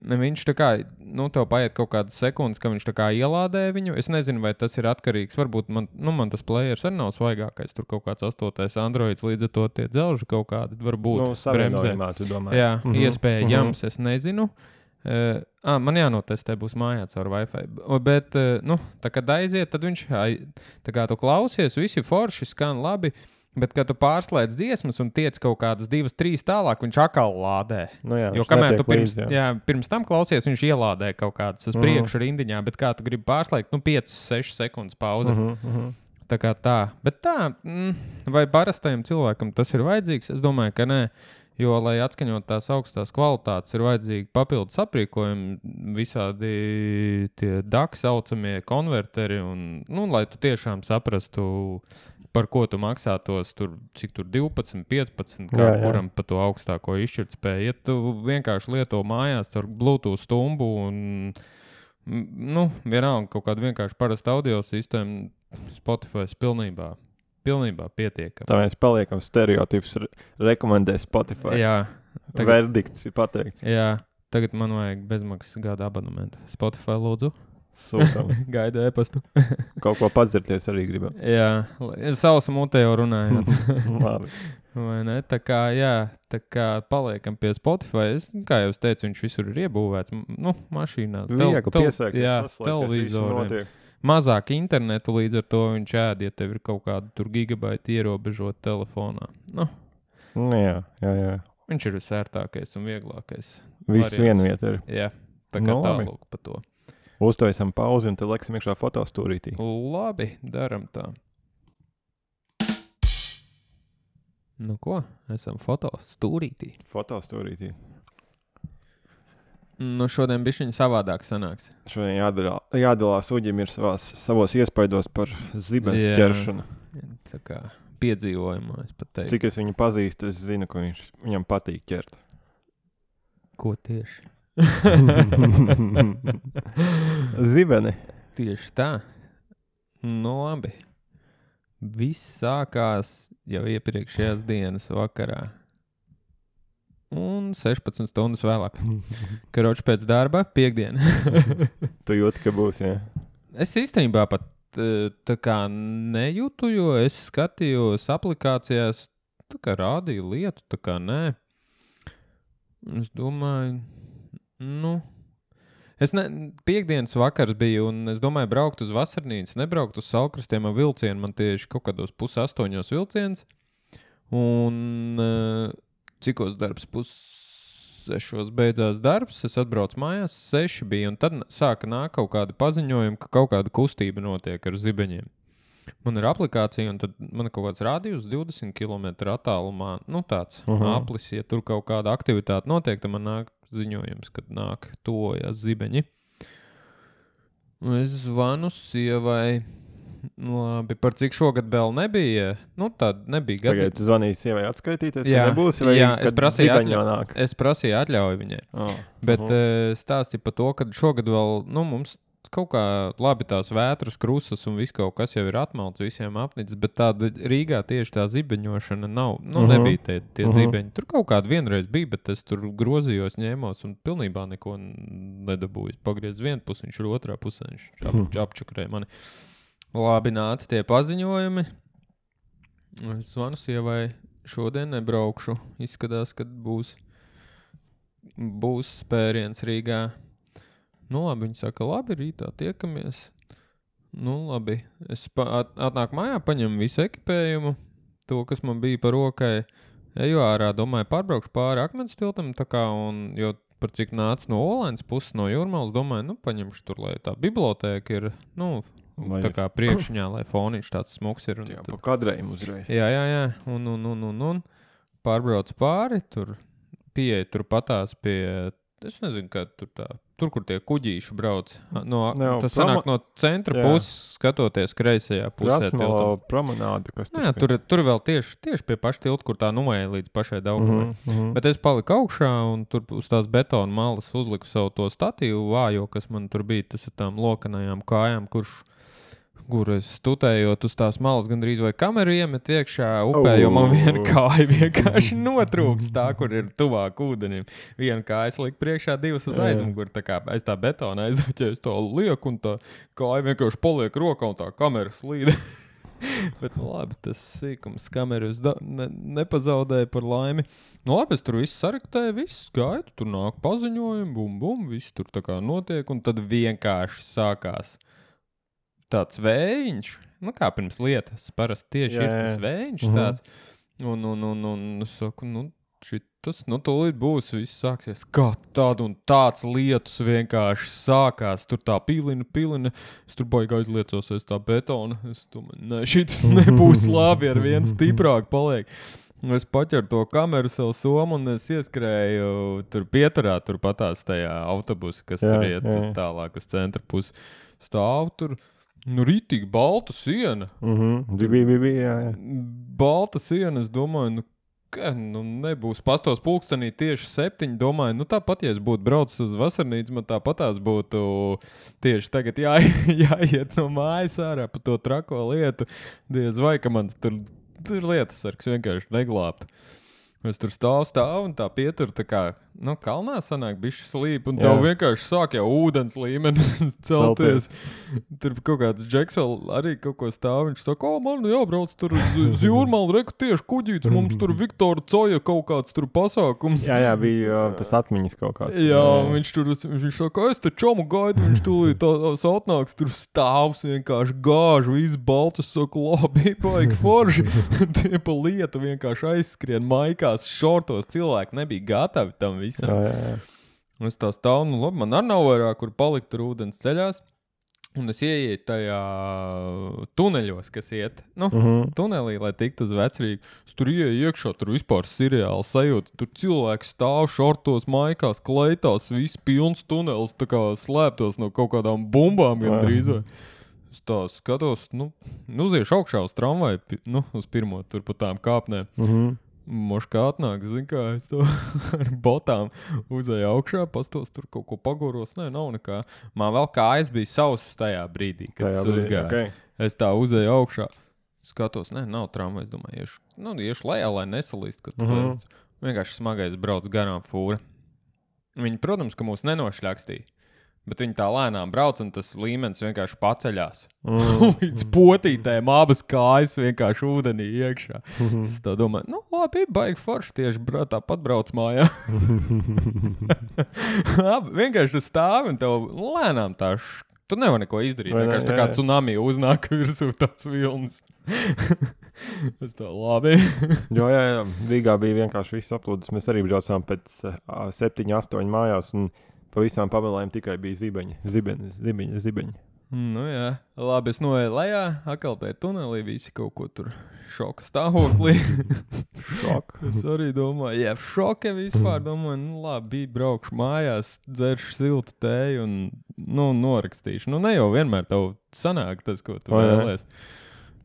Ne, Viņš tā kā, nu, tev paiet kaut kādas sekundes, ka viņš tā kā ielādē viņu. Es nezinu, vai tas ir atkarīgs. Varbūt man, nu, man tas players arī nav svaigākais. Tur kaut kāds astotais Androids, līdz ar to tie dzelži kaut kādi varbūt Nu, bremzē. savienojumā, tu domā. Jā, Mhm. iespējams, es nezinu. Uh, ah, man jānotestē, būs mājā caur Wi-Fi. O, Bet, uh, nu, tā kad aiziet, tad viņš, ai, tā kā tu klausies, visi forši skan labi, bet, kad tu pārslēdz dziesmas un tiec kaut kādas divas, trīs tālāk, viņš atkal lādē. Nu, jā, Jo viņš kamēr netiek tu pirms, līdzi, jā. jā, pirms tam klausies, viņš ielādē kaut kādas uz Mhm. priekšu rindiņā, bet kā tu gribi pārslēgt, nu, piecas, sešas sekundes pauze. Mhm, mhm. Tā kā tā. Bet tā, mm, vai parastajam cilvēkam tas ir vajadzīgs? Es domāju, ka nē. Jo, lai atskaņot tās augstās kvalitātes, ir vajadzīgi papildus aprīkojumi, visādi tie D A C saucamie konverteri, un, nu, lai tu tiešām saprastu, par ko tu maksā tos, tur, cik tur divpadsmit, piecpadsmit, kā Jā, jā. kuram pa to augstāko izšķirtspēju. Ja tu vienkārši lieto mājās ar Bluetooth stumbu un, mm, nu, vienalga kaut kādu vienkārši parastu audio sistēmu, Spotify pilnībā. Pilnībā pietiekami. Tā mēs paliekam stereotipus, re rekomendē Spotify. Jā, tagad, Verdikts ir pateikts. jā, tagad man vajag bezmaksas gada abonementu. Spotify lūdzu, Sūtam. gaidu e-pastu. Kaut ko padzirties arī gribam. Jā, sausa mutē jau runājot. Labi. Vai ne? Tā kā, jā, tā kā paliekam pie Spotify. Es, kā jau es teicu, viņš visur ir iebūvēts. M- Nu, mašīnās. Viegli pieslēgties, jā, saslēgties, viss televizoriem. notiek. Mazāk internetu, līdz ar to viņš ēd, ja tev ir kaut kāda tur gigabaita ierobežot telefonā. Nu, Nu, jā, jā, jā. viņš ir visērtākais un vieglākais. Viss Variants. viena vieta ir. Jā, tā kā Nu, labi. tālūk pa to. Uztaisam pauzi un tad leksim iekšā fotostūrītī. Labi, daram tā. Nu ko, esam foto stūrītī. Fotostūrītī. Nu šodien bišķiņ savādāk sanāks. Šodien jādalā, jādalās Uģim ir savās, savos iespaidos par zibens Jā. ķeršanu. Tā kā piedzīvojumā, es pat teiktu. Cik es viņu pazīstu, es zinu, ka viņš, viņam patīk ķert. Ko tieši? Zibeni. Tieši tā. Nu labi. Viss sākās jau iepriekšējās dienas vakarā. Un sešpadsmit stundas vēlāk. Karoči pēc darba, piekdiena. Tu jūti, ka būs, jā? Es īstenībā pat eh, tā kā nejūtu, jo es skatījos aplikācijās, tā kā rādīju lietu, tā kā nē. Es domāju, nu, Es ne, piekdienas vakars biju, un es domāju, braukt uz vasarnīcu, nebraukt uz Salkrastiem ar vilcienu. Man tieši kaut kādos pus astoņos vilciens. Un uh, cikos darbs pus sešos beidzās darbs, es atbraucu mājās, seši bija, un tad sāka nāk kaut kādi paziņojumi, ka kaut kāda kustība notiek ar zibeņiem. Man ir aplikācija, un tad man ir kaut kāds rādījus divdesmit kilometru attālumā, nu tāds uh -huh. aplis, ja tur kaut kāda aktivitāte notiek, tad man nāk ziņojums, kad nāk tojas zibeņi. Un es zvanu sievai, nu labi, par cik šogad vēl nebija, nu tāda nebija gadi. Tagad tu zvanīji sievai atskaitīties, jā, ka nebūsi, vai jā, es prasīju, atļau, es prasīju atļauju viņai, oh, bet uh -huh. stāstīja par to, ka šogad vēl, nu mums kaut kā labi tās vētras, krusas un viss kaut kas jau ir atmalts visiem apnicis, bet tāda Rīgā tieši tā zibeņošana nav, nu uh -huh. nebija tie, tie uh -huh. zibeņi. Tur kaut kāda vienreiz bija, bet es tur grozījos, ņēmos un pilnībā neko nedabūju. Pagriez vienu pusi, viņš ir otrā pusē, viņš ap, uh -huh. apčakarēja mani. Labi, nāca tie paziņojumi. Es zvanu sievai, šodien nebraukšu. Izskatās, kad būs, būs spēriens Rīgā. Nu labi, viņi saka, labi, rītā tiekamies. Nu labi, es pa, at, atnāk mājā, paņemu visu ekipējumu, to, kas man bija par rokai. Eju ārā, domāju, pārbraukšu pāri Akmens tiltam, tā kā, un, jo par cik nāca no Olainas puses, no Jūrmalas, domāju, nu paņemšu tur, lai tā bibliotēka ir, nu, lai tā kā priekšņā, lai foniņš tāds smuks ir. Un jā, tad, pa kadrējiem uzreiz. Jā, jā, jā, un, un, un, un, un pārbrauc pāri, tur pieeja tur patās pie, es nezinu, kā tur tā, tur, kur tie kuģīši brauc. No, no, tas sanāk no centra jā. puses, skatoties kreisajā pusē. Krasno promenāde, kas tur jā, tur, tur vēl tieši, tieši pie paša tilta, kur tā noeja līdz pašai Daugavai. Mm -hmm. Bet es paliku augšā un tur uz tās betona malas uzliku savu to statīvu vājo, kas man tur bija, tas ar tām lokanajām kājām, kurš kur es stutējot uz tās malas gandrīz vai kameru iemet iekšā upē, oh. jo man viena kāja vienkārši notrūks tā, kur ir tuvāk ūdenim. Viena kāja likt priekšā, divas uz aizmuguri, tā kā aiz tā betona aizaķēju, es tā lieku un tā kāja vienkārši paliek rokā un tā kamera slīda. Bet, nu labi, tas sīkums kameru es da, ne, nepazaudēju par laimi. Nu labi, es tur visu saraktēju, visu skaitu, tur nāk paziņojumi, bum, bum, viss tur tā kā notiek, un tad vienkārši sākās tāds vējiņš, nu kā pirms lietas, parasti tieši jā, jā. ir tas vējiņš mm -hmm. tāds, un, un, un, un, es saku, nu, šitas, nu, tūlīt būs, viss sāksies, kā tāda un tāds lietus vienkārši sākās, tur tā pilina, pilina, es tur baigi aizliecos aiz tā betona, es domāju, ne, šitas nebūs labi, ar vien stiprāk paliek. Es paķeru to kameru savu somu un es ieskrēju tur pieturā, tur patās tajā autobusu, kas jā, tur iet jā. tālāk uz centra pusi, stāv tur. Nu, rītīgi balta siena. Mhm, bija, bija, bija, jā, jā. Balta siena, es domāju, nu, ka, nu, nebūs pastos pulkstenī tieši septiņi, domāju, nu, tāpat, ja es būtu braucis uz vasarnīcu, man tāpatās būtu tieši tagad jā, jāiet no mājas ārā pa to trako lietu, diez vai, ka man tur, tur lietasargs vienkārši neglābtu. Es tur stāvu, stāvu un tā pietur, tā kā, nu, kalnā sanāk bišķi slīp, un tev vienkārši sāk jau ūdens līmeni celties. Tur kaut kāds Džeks vēl arī kaut ko stāv, viņš saka, o, man jābrauc tur uz Jūrmalu, reku tieši kuģīts, mums tur Viktora Coja kaut kāds tur pasākums. Jā, jā, bija tas atmiņas kaut kāds. Jā, jā, viņš tur, viņš saka, es te čomu gaidu, viņš tūlīt tās atnāks, tur stāvs vienkārši gāžu, viss balts, es saku, labi, paik forši, tie pa lietu vienkārši aizskrien maikā. Šortos cilvēki nebija gatavi tam visam. Jā, jā, jā. Un es tā stāvu, nu labi, man arī nav vairāk, kur palikt tur ūdens ceļās. Un es ieietu tajā tuneļos, kas iet, nu, uh -huh. tunelī, lai tiktu uz Vecrīgu. Es tur ieeju iekšā, tur vispār seriāli sajūta. Tur cilvēks stāv šortos, maikās, kleitās, viss pilns tunels, tā kā slēptos no kaut kādām bumbām gandrīz vai. Es tā skatos, nu, uziešu augšā uz tramvaju, nu, uz pirmo tur pa tām kāpnēm. Uh -huh. Moškā atnāk, zin kā, es to ar botām uzēju augšā, pastos tur kaut ko pagoros, nē, nav nekā. Man vēl kājas bija sausas tajā brīdī, kad tajā es uzgāju. Okay. Es tā uzēju augšā, skatos, nē, nav tramvajs, domāju, iešu, nu, iešu lejā, lai nesalīst, kad mm -hmm. vienkārši smagais brauc garām fūra. Viņi, protams, ka mūs nenošļakstīja, Bet viņi tā lēnām brauc, un tas līmenis vienkārši paceļās. Mm. Līdz potītēm abas kājas vienkārši ūdenī iekšā. Mm-hmm. Es tā domāju, nu labi, baigi forši tieši bra, tāpat brauc mājā. Labi, vienkārši tu stāvi un tev lēnām tā š... Tu nevar neko izdarīt. Vai vienkārši ne, tā kā jā. tsunami uznāk virsū tāds vilnis. Es tā labi. Jo, jā, jā, Rīgā bija vienkārši viss aplūdis. Mēs arī braucām pēc uh, septiņi, astoņi mājās, un pa visām pamelēm tikai bija zibeņi, zibeņi, zibeņi, zibeņi. Nu jā, labi, es noeju lejā, akal tajā tunelī visi kaut ko tur šoka stāvoklī. Šok. Es arī domāju, jā, šoka vispār, domāju, nu labi, braukšu mājās, dzeršu siltu tēju un, nu, norakstīšu. Nu, ne jau vienmēr tev sanāk tas, ko tu O, jā. vēlies.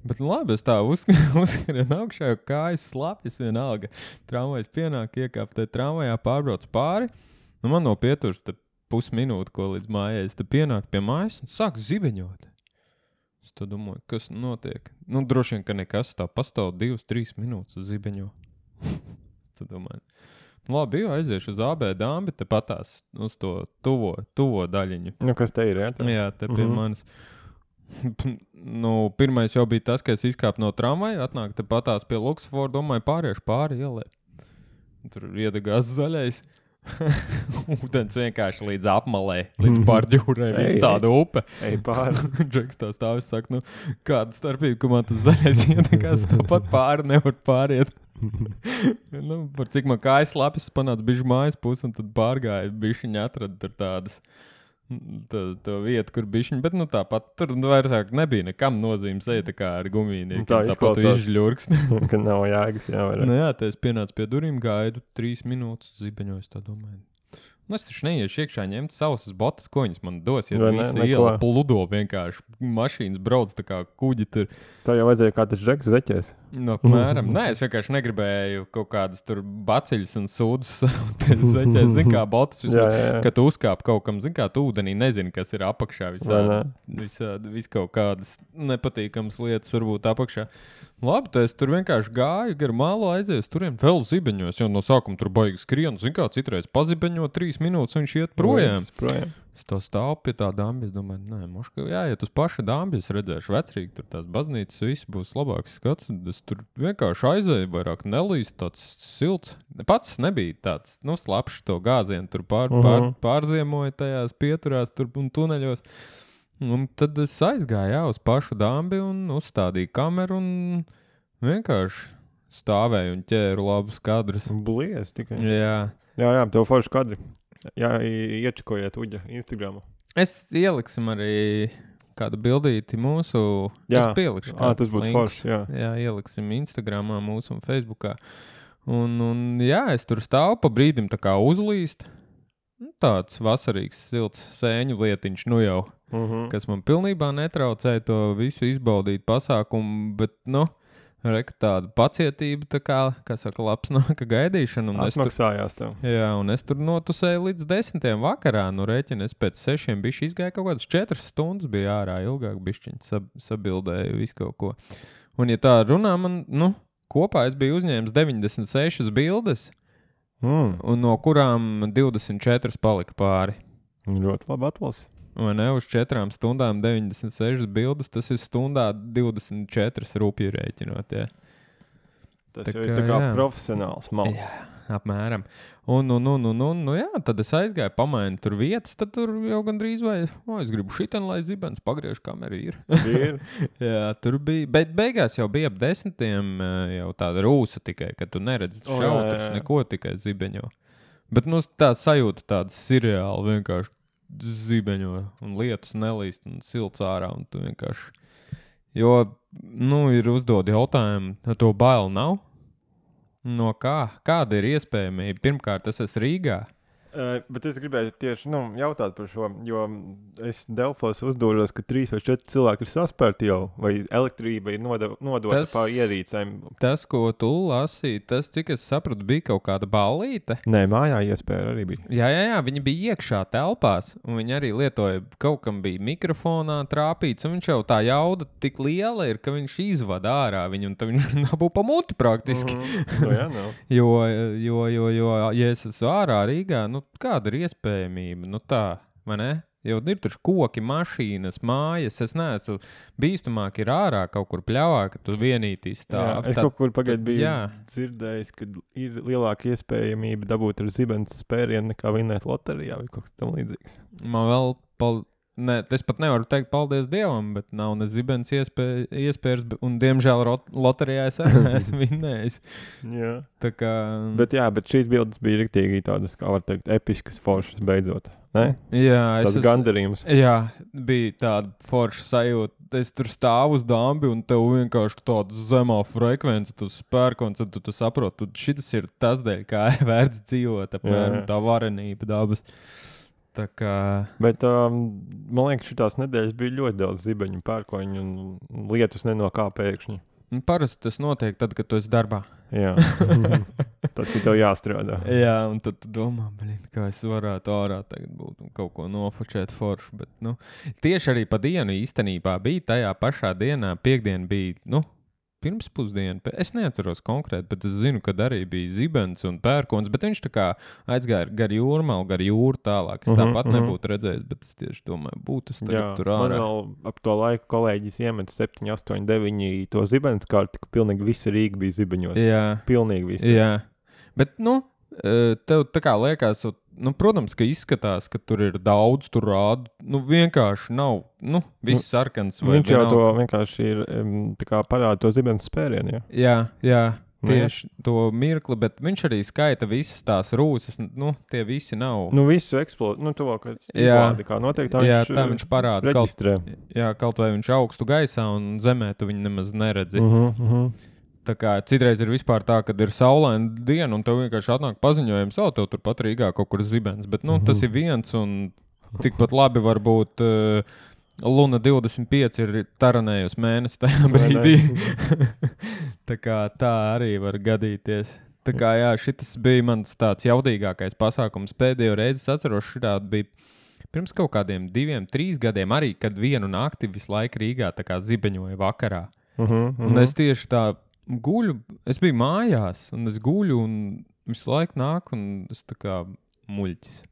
Bet labi, es tā uzsk- uzskrienu augšā, jo kājas slapjas vienalga. Tramvajs pienāk, iekāp te tramvajā, pārbrauc pāri. Nu, man no pieturas te pusminūte, ko līdz mājai, es te pienāk pie mājas un sāk zibeņot. Es tā domāju, kas notiek? Nu, droši vien, ka nekas tā pastāv divas, trīs minūtes uz zibeņo. Es tā domāju. Nu, labi, jau aiziešu uz A B dambi, te patās uz to tuvo, tuvo daļiņu. Nu, kas te ir, jā? Tā? Jā, te pie mm-hmm. manis. Nu, pirmais jau bija tas, ka es izkāpu no tramvaja, atnāk te patās pie Luxford, domāju, pāriešu pāri ielē. Tur iedegās zaļais. Ūdens vienkārši līdz apmalē, līdz pārģūrē, viss tāda upe. Ej pāri. Džeks tā stāvis saka, nu, kāda starpība, ka man tas zaļais iedegās, tāpat pāri nevar pāriet. Nu, par cik man kājas lapis panāca bišķi mājas pusi, un tad pārgāja, bišķiņi atrada tur tādas, tā, tā vieta, kur bišķiņi, bet nu tāpat tur vairāk nebija nekam nozīmes, eja tā kā ar gumīniekiem, Tā tāpat tu izklausās. izžļurkst. Ka nav jāgas, jā, vai ne? Nu jā, tā es pienācu pie durīm, gaidu trīs minūtes zibeņoju, tā domāju. Nu, es taču neiešu iekšā ņemt savas botas, ko viņas man dos, ja Vai ne, visa neko. iela pludo vienkārši. Mašīnas brauc tā kā kuģi tur. Tā jau vajadzēja kā tas džeks zeķēs. No, apmēram. Nē, es vienkārši negribēju kaut kādas tur baceļas un sūdas sarūties zeķēs. Zin kā botas vismaz, Jā, jā, jā. kad tu uzkāp kaut kam, zin kā tu ūdenī nezini, kas ir apakšā. Vai Visādi, ne? visādi, vis kaut kādas nepatīkamas lietas varbūt apakšā. Labi, tā es tur vienkārši gāju, gar malu aizēju, turiem vēl zibeņos, jo no sākuma tur baigi skrienu. Zin kā citreiz pazibeņo trīs minūtes, viņš iet projām. Viss projām. Es tā stāvu pie tā dambi, es domāju, nē, moška, jāiet uz paša dambi, es redzēšu vecrīgi, tur tās baznīcas, viss būs labāks skats. Es tur vienkārši aizēju, vairāk nelīst, tāds silts. Pats nebija tāds, nu, slapšs to gāzienu, tur pār, Mhm. pār, pārziemoja tajās pieturās tur un tuneļos. Un tad es aizgāju, jā, uz pašu dambi un uzstādīju kameru un vienkārši stāvēju un ķēru labus kadrus. Blies tikai. Jā. Jā, jā, tev forši kadri. Jā, i- iečakojiet Uģa Instagramu. Es ieliksim arī kādu bildīti mūsu. Jā. Es pielikšu. Ā, tas kādus būtu linkus. forši, jā. Jā, ieliksim Instagramā mūsu un Facebookā. Un, un jā, es tur stāvu pa brīdim tā kā uzlīst. Nu, tāds vasarīgs, silts sēņu lietiņš, nu jau, Mhm. kas man pilnībā netraucēja to visu izbaudīt pasākumu, bet, nu, reka tāda pacietība, tā kā, kā saka, labs nāka gaidīšana. Un es tur, Atmaksājās tev. jā, un es tur notusēju līdz desmitiem vakarā, nu rēķini, es pēc sešiem bišķi izgāju kaut kādas četras stundas, bija ārā ilgāk bišķiņi sab, sabildēju visu kaut ko. Un ja tā runā, man, nu, kopā es biju uzņēmis deviņdesmit sešas bildes, Mm. un no kurām divdesmit četras palika pāri. Ļoti labi atlasi. Vai ne, uz četrām stundām deviņdesmit sešas bildes, tas ir stundā divdesmit četras rupji rēķinot, jā. Tas Tā jau ir kā, tā kā jā. profesionāls malts. Jā, apmēram. Un, un, un, un, un, nu jā, tad es aizgāju, pamainu tur vietas, tad tur jau gandrīz vai, o, es gribu šitien, lai zibens pagriež kameru ir. Ir. Jā, tur bija, bet beigās jau bija ap desmitiem eh, jau tāda rūsa tikai, ka tu neredzi O, jā, šautras, jā, jā. neko tikai zibeņo. Bet, nu, tā sajūta tāda seriāla vienkārši zibeņo un lietus nelīst un silts ārā un tu vienkārši, jo, nu, ir uzdod jautājumu, to bail nav? No kā? Kāda ir iespējamība? Pirmkārt, es esmu Rīgā. Uh, bet es gribēju tieši nu, jautāt par šo, jo es Delfos uzdūros, ka trīs vai četri cilvēki ir saspērti jau, vai elektrība ir noda, nodota Tas- pa ierīcēm. Tas, ko tu lasīji, tas, cik es sapratu, bija kaut kāda ballīte. Nē, mājā iespēja arī bija. Jā, jā, jā, viņi bija iekšā telpās, un viņi arī lietoja, kaut kam bija mikrofonā trāpīts, un viņš jau tā jauda tik liela ir, ka viņš izvada ārā viņu, un tad viņš dabū pa muti praktiski. Mhm. Nu, jā, nav. Jo, jo, jo, jo, ja es esmu ārā Rīgā, nu kāda ir iespējamība? Nu tā, vai ne? jau ir tur koki, mašīnas, mājas. Es neesmu bīstamāk ir ārā kaut kur pļāvā, ka tu vienītī stāv. Jā, es tad, kaut kur pagaid biju jā. dzirdējis, ka ir lielāka iespējamība dabūt ar zibens spērienu nekā vinēt loterijā vai kaut kas tam līdzīgs. Man vēl, pal... ne, es pat nevaru teikt paldies Dievam, bet nav ne zibens iespēj, iespējas, un diemžēl rot, loterijā es arī esmu vinējis. Jā. Tā kā... Bet jā, bet šīs bildes bija riktīgi tādas, kā var teikt, episkas foršas beidzot. Ne? Jā, tas es gandarījums. Jā, bija tāda forša sajūta. Es tur stāvu uz dambi un tev vienkārši tāda zemā frekvence, tu spērkons, un tu, tu saproti, tu šitas ir tas dēļ, kā ir vērts dzīvot, apmēram tā varenība dabas. Tā kā... Bet um, man liekas, šitās nedēļas bija ļoti daudz zibeņu, pērkoņu un lietus ne no kā pēkšņi. Parasti tas notiek tad, kad tu esi darbā. Jā. Tad, kad tev jāstrādā. Jā, un tad tu domā, blin, kā es varētu ārā tagad būt un kaut ko nofočēt foršu. Bet, nu, tieši arī pa dienu īstenībā bija tajā pašā dienā, piekdien bija, nu, pirms pusdienu. Es neatceros konkrēti, bet es zinu, kad arī bija zibens un pērkons, bet viņš tā kā aizgāja gar jūrmalu, gar jūru tālāk. Es Mhm, tāpat mhm. nebūtu redzējis, bet es tieši domāju, būtu es tagad Jā, tur man ārā. vēl ap to laiku kolēģis iemet septiņi, astoņi, deviņi to zibens karti, ka pilnīgi visa Rīga bija zibeņot. Jā. Pilnīgi visa. Jā, bet, nu, tev tā kā liekas, nu, protams, ka izskatās, ka tur ir daudz, tur rāda, nu, vienkārši nav, nu, viss sarkans. Vai Viņš jau vienalga. to vienkārši ir, um, tā kā parāda to zibens spērienu, jā. Jā, jā, Nu, jā. tieši to mirkli, bet viņš arī skaita visas tās rūsas, nu, tie visi nav. Nu, visu eksplodu, nu, to, kad Jā. izlādi, kā notiek, tā Jā, viņš, tā viņš parāda, kaut, reģistrē. jā, kaut vai viņš augstu gaisā un zemē tu viņu nemaz neredzi. Uh -huh, uh -huh. Tā kā citreiz ir vispār tā, kad ir saulaina diena un tev vienkārši atnāk paziņojums, o, tev tur pat Rīgā kaut kur zibens, bet, nu, tas ir viens un tikpat labi varbūt uh, Luna divdesmit pieci ir taranējusi mēnesi tajā brīdī. Tā kā tā arī var gadīties. Tā kā jā, šitas bija mans tāds jaudīgākais pasākums. Pēdējo reizi es atceros, šitā bija pirms kaut kādiem diviem, trīs gadiem arī, kad vienu nakti visu laiku Rīgā tā kā zibeņoja vakarā. Uh -huh, uh -huh. Un es tieši tā guļu, es biju mājās, un es guļu, un visu laiku nāk, un es tā kā muļķis.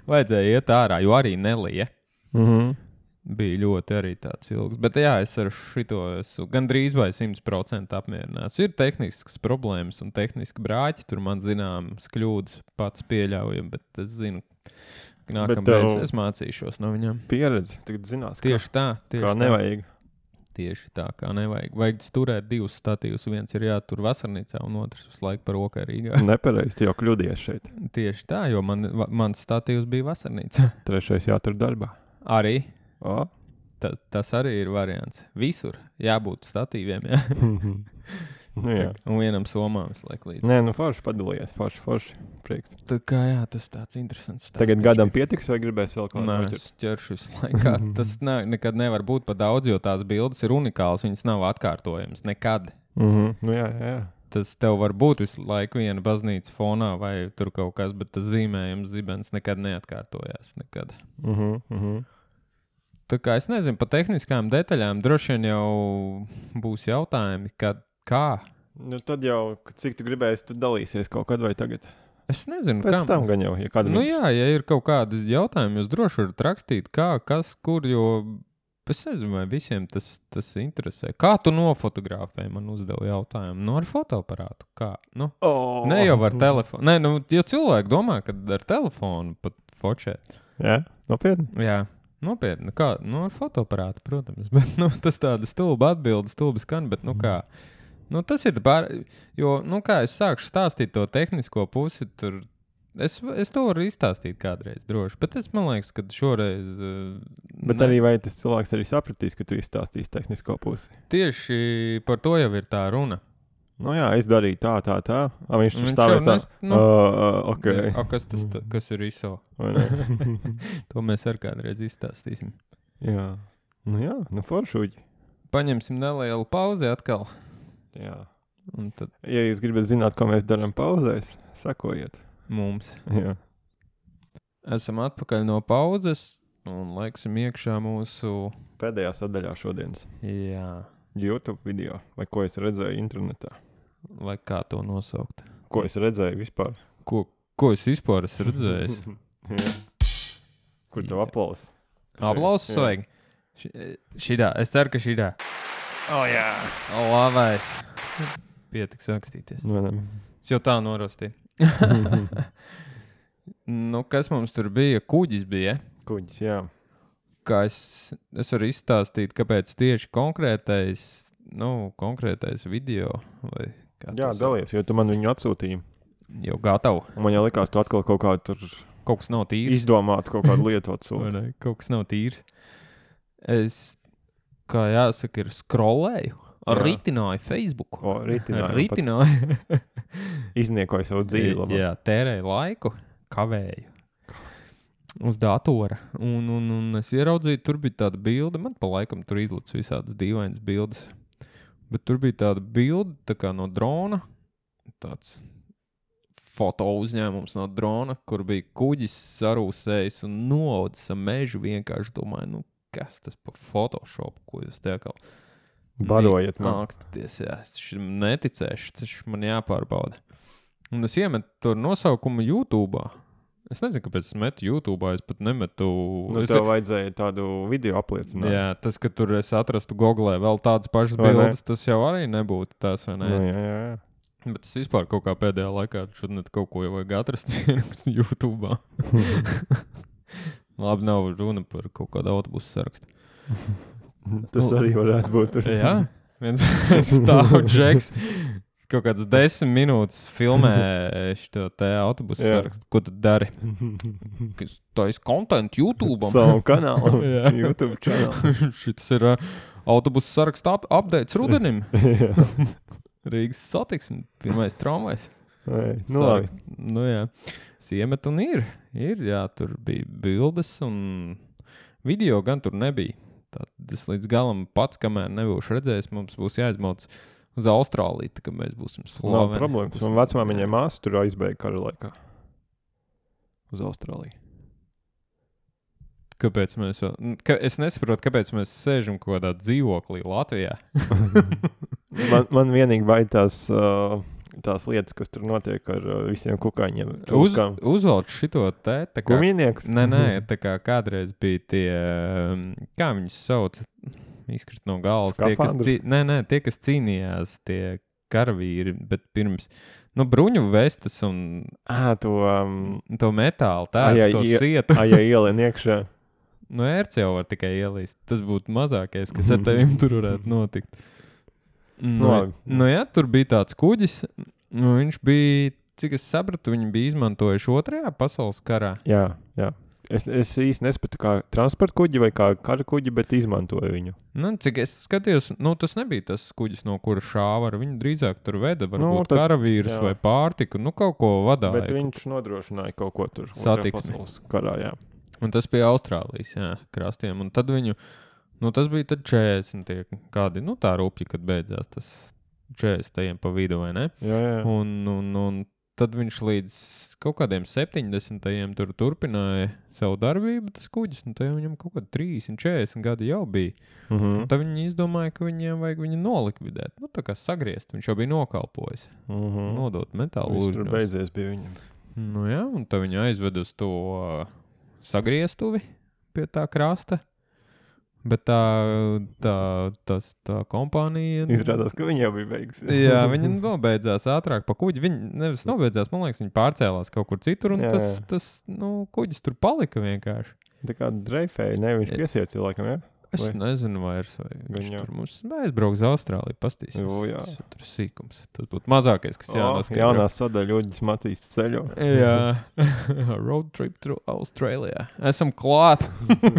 Vajadzēja iet ārā, jo arī nelija. Uh -huh. Bija ļoti arī tāds ilgs. Bet jā, es ar šito esmu gandrīz vai simt procenti apmierināts. Ir tehniskas problēmas un tehniski brāķi, tur man zināmas kļūdas pats pieļaujam, bet es zinu, ka nākamreiz tev- es mācīšos no viņām. Pieredze, tagad zinās, kā, Tieši tā, tieši kā tā. nevajag. Tieši tā, kā nevajag. Vajag turēt divus statīvus. Viens ir jātur vasarnīcā, un otrs visu laiku par okai Rīgā. Nepareizi, tu jau kļūdies šeit. Tieši tā, jo man, va- mans statīvs bija vasarnīcā. Trešais jātur darbā. Arī. O? Ta, tas arī ir variants. Visur jābūt statīviem, jā. Nu, jā. Un vienam somām visu laiku līdzi. Nē, nu forši padalījies, forši, forši. Prieks. Tā kā jā, tas tāds interesants stāsts. Tagad taču gadam bija. pietiks vai gribēs vēl kaut Nē, ko es ķeršu visu laiku. Tas ne, nekad nevar būt pa daudz, jo tās bildes ir unikālas, viņas nav atkārtojamas. Nekad. Mm -hmm. Nu jā, jā, jā. Tas tev var būt visu laiku viena baznīca fonā vai tur kaut kas, bet tas zīmējums zibens nekad neatkārtojās. Nekad. Mm -hmm. Mm -hmm. Tā kā es nezinu, pa tehniskām detaļām droši vien jau būs jautājumi, kad, kā. Nu, tad jau, kad cik tu gribēsi, tu dalīsies kaut kad vai tagad. Es nezinu, Pēc kam. tam gan jau, ja kādam Nu jā, ja ir kaut kādi jautājumi, jūs droši varat rakstīt, kā, kas, kur, jo es nezinu, vai visiem tas, tas interesē. Kā tu nofotografēji, man uzdeva jautājumu. Nu, ar fotoaparātu, kā? Nu, Oh. ne jau ar telefonu. Nē, nu, jo cilvēki domā, ka ar telefonu pat fočēt. Jā, nopietni. Jā, nopietni. Kā? Nu, ar fotoaparātu, protams. Bet, nu, tas tāda stulba atbilde, stulba skan, bet, nu, kā? Nu, tas ir pār... Jo, nu, kā es sākšu stāstīt to tehnisko pusi, tur... Es, es to varu izstāstīt kādreiz droši, bet es man liekas, ka šoreiz... Uh, Bet ne- arī vai tas cilvēks arī sapratīs, ka tu izstāstīsi tehnisko pusi? Tieši par to jau ir tā runa. Nu jā, es darīju tā, tā, tā. A, viņš tur Viņš stāvēs jau tā. nes- nu- Uh, uh, ok. A, kas tas ta, kas ir I S O? Vai ne? To mēs ar kādreiz izstāstīsim. Jā. Nu jā, nu foršuģi. Paņemsim nelielu pauzi atkal. Jā. Un tad Ja jūs gribat zināt, ko mēs darām pauzēs, sakojiet. mums. Jā. Esam atpakaļ no pauzes un laiksim iekšā mūsu... Pēdējā sadaļā šodienas Jā, YouTube video, vai ko es redzēju internetā. vai kā to nosaukt. Ko es redzēju vispār? Ko, ko es vispār esmu redzējis? Jā. Kur tev aplausi? Aplausus vajag? Šidā, es ceru, ka šidā. O, oh, jā. Labais. Pietiks rakstīties. No, es jau tā norostīju. Nu, kas mums tur bija? Kuģis bija. Kuģis, jā. Kā es, es varu izstāstīt, kāpēc tieši konkrētais, nu, konkrētais video. Vai jā, dalies, jo tu man viņu atsūtīji. Jau gatavu. Un man jau likās, tu atkal kaut kā tur kaut kas nav tīrs. Izdomāt kaut kādu lietu atsūti. Kaut kas nav tīrs. Es, kā jāsaka, ir scrollēju. Ritināju Facebooku. O, ritināju. Ritināju. Izniekoju savu dzīvi labāk. Jā, tērēju laiku, kavēju. Uz datora. Un, un, un es ieraudzīju, tur bija tāda bilde. Man pa laikam tur izlic visādas dīvainas bildes. Bet tur bija tāda bilde, tā kā no drona. Tāds foto uzņēmums no drona, kur bija kuģis sarūsējis un noaudzis ar mežu. Vienkārši domāju, nu, kas tas pa Photoshop, ko jūs te atkal barojiet man. Nākstaties, jā, es šim neticēšu, tas man jāpārbauda. Un es iemetu tur nosaukumu YouTube'ā. Es nezinu, kāpēc es metu YouTube'ā, es pat nemetu... Nu, es... tev vajadzēja tādu video apliecināt. Jā, tas, ka tur es atrastu Googlē vēl tādas pašas vai bildes, ne? Tas jau arī nebūtu tās, vai ne? Nu, jā, jā, jā. Bet es vispār kaut kā pēdējā laikā šodien kaut ko jau vajag atrast YouTube'ā. Labi, nav runa par kaut kādu autobusu sarakstu. Tas arī varētu būt. Tur. Jā, viens stāv džeks, kaut kāds desmit minūtes filmē šo te autobusu sarakstu. Ko tu dari? Kas tais content YouTube'am. Savu kanālu. YouTube kanālu. Šis ir uh, autobusu sarakstu up updates rudenim. Rīgas satiksme, pirmais tramvajs. Nu, labi. Nu, jā. Siemet un ir. Ir, jā, tur bija bildes un video gan tur nebija. Tad es līdz galam pats, kamēr nebūšu redzējis, mums būs jāizmauc uz Austrāliju, tā, ka mēs būsim slaveni. Nav problēmas. Man vecmāmiņai māsa tur aizbēga kara laikā. Uz Austrāliju. Kāpēc mēs vēl... Ka, es nesaprotu, kāpēc mēs sēžam kaut kādā dzīvoklī Latvijā. man, man vienīgi baid tās, uh, tās lietas, kas tur notiek ar uh, visiem kukaiņiem. Uz, uzvelc šito te, tā kā... Kumīnieks? Nē, nē, tā kā kādreiz bija tie, kā viņus sauc, izkrist no galvas. Tie, kas cī... Nē, nē, tie, kas cīnījās, tie karavīri, bet pirms... Nu, bruņu vestas un... Ā, to... Um... To metālu, tā, a, to ie... sietu. Ā, ja ielien iekšā. Nu, ērts jau var tikai ielīst. Tas būtu mazākais, kas ar tevim tur varētu notikt. Nu, no, nu jā, tur bija tāds kuģis. Nu, viņš bija, cik es sapratu, viņi bija izmantojuši otrajā pasaules karā. Jā, jā. Es, es īsti nespētu kā transporta kuģi vai kā kara kuģi, bet izmantoju viņu. Nu, cik es skatījos, nu, tas nebija tas kuģis, no kura šāva ar viņu drīzāk tur veda, varbūt nu, tad, karavīrus jā. Vai pārtiku, nu, kaut ko vadāja. Bet viņš nodrošināja kaut ko tur. Satiksmi. Karā, jā. Un tas bija Austrālijas, jā, krastiem. Un tad viņu, nu, tas bija tad četrdesmit tie kādi, nu, tā rupji, kad beidzās tas četrdesmitajiem pa vidu, vai ne? Jā, jā. Un, un, un tad viņš līdz kaut kādiem septiņdesmitajiem tur turpināja savu darbību, tas kuģis, un tad viņam kaut kādi trīsdesmit, četrdesmit gadi jau bija. Uh-huh. Un tad viņi izdomāja, ka viņiem vajag viņu nolikvidēt. Nu, tā kā sagriezt, viņš jau bija nokalpojis. Uh-huh. Nodot metālu lūžņos. Tur beidzies bija viņam. Nu jā, un tad viņi aizved uz to sagrieztuvi pie tā krasta. Bet tā, tā, tas, tā kompānija... Izrādās, ka viņi jau bija beigusies. Jā, viņi nobeidzās ātrāk pa kuģi. Viņi nevis nobeidzās, man liekas, viņi pārcēlās kaut kur citur, un jā, tas, jā. tas, nu, kuģis tur palika vienkārši. Tā kā dreifēja, ne, viņš piesiet cilvēkam, jā? Es vai? Nezinu vairs, vai viņš Viņu. Tur mums aizbrauks uz Austrāliju, pastīsies. Jo, jā. Tas, tur sīkums. Tas būtu mazākais, kas jānoskaidro. Oh, jaunā sadaļa Uģis Matīs ceļo. Jā. Road trip through Australia. Esam klāt.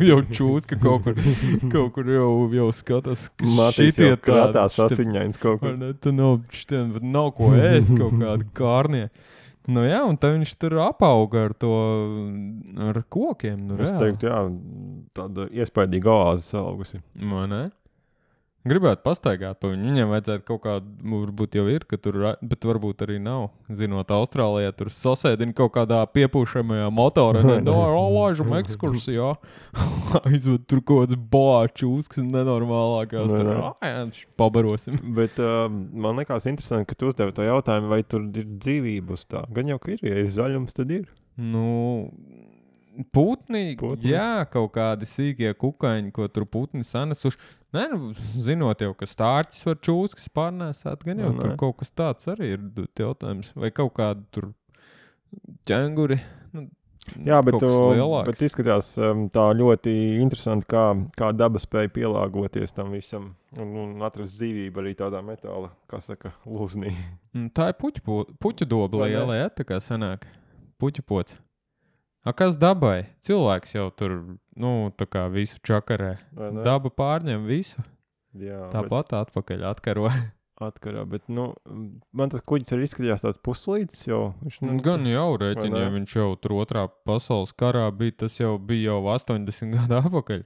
Jau čūska kaut kur, kaut kur jau, jau skatās. Matīs jau krātās asiņains kaut kur. Ne, tu nav, šitien, nav ko ēst kaut kādi kārnie. Nu jā, un tad viņš tur apauga ar to, ar kokiem. Nu, es teiktu, jā, tāda iespaidīga oāze salaugusi. Vai ne? Gribētu pastaigāt pa viņu. Viņam vajadzētu kaut kādu, varbūt jau ir, ka tur, bet varbūt arī nav. Zinot, Austrālijā tur sasēdina kaut kādā piepūšamajā motorā. No, laižam ekskursijā. Aizved tur kaut kāds bāčūs, kas nenormālākās. Tur, jā, pabarosim. Bet uh, man likās interesanti, ka tu uzdevi to jautājumu, vai tur ir dzīvība uz tā. Gan jau, ka ir, ja ir zaļums, tad ir. Nu, Putni, Putni. jā, kaut kādi sīkie kukaiņi, ko tur putni sanesuši. Nē, nu, zinot jau, ka stārķis var čūskas pārnēsāt, gan jau Nu, tur nē. kaut kas tāds arī ir d- jautājums. Vai kaut kādi tur ķenguri. Nu, Jā, bet, kaut kas tu- lielāks. bet izskatās um, tā ļoti interesanti, kā, kā daba spēja pielāgoties tam visam un, un atrast dzīvību arī tādā metāla, kā saka, lūznī. Mm, Tā ir puķu, po- puķu doba Vai ne? liela, jā, tā kā sanāk. Puķu pots. A kas dabai? Cilvēks jau tur, nu, tā kā visu čakarē. Vai ne? Daba pārņem visu. Jā, Tāpat atpakaļ atkaro. atkarā, bet, nu, man tas kuģis arī izskatījās tāds puslītis, jo viņš, nu, Gan jau rēķini, ne? ja viņš jau tur otrā pasaules karā bija, tas jau bija jau astoņdesmit gadu atpakaļ.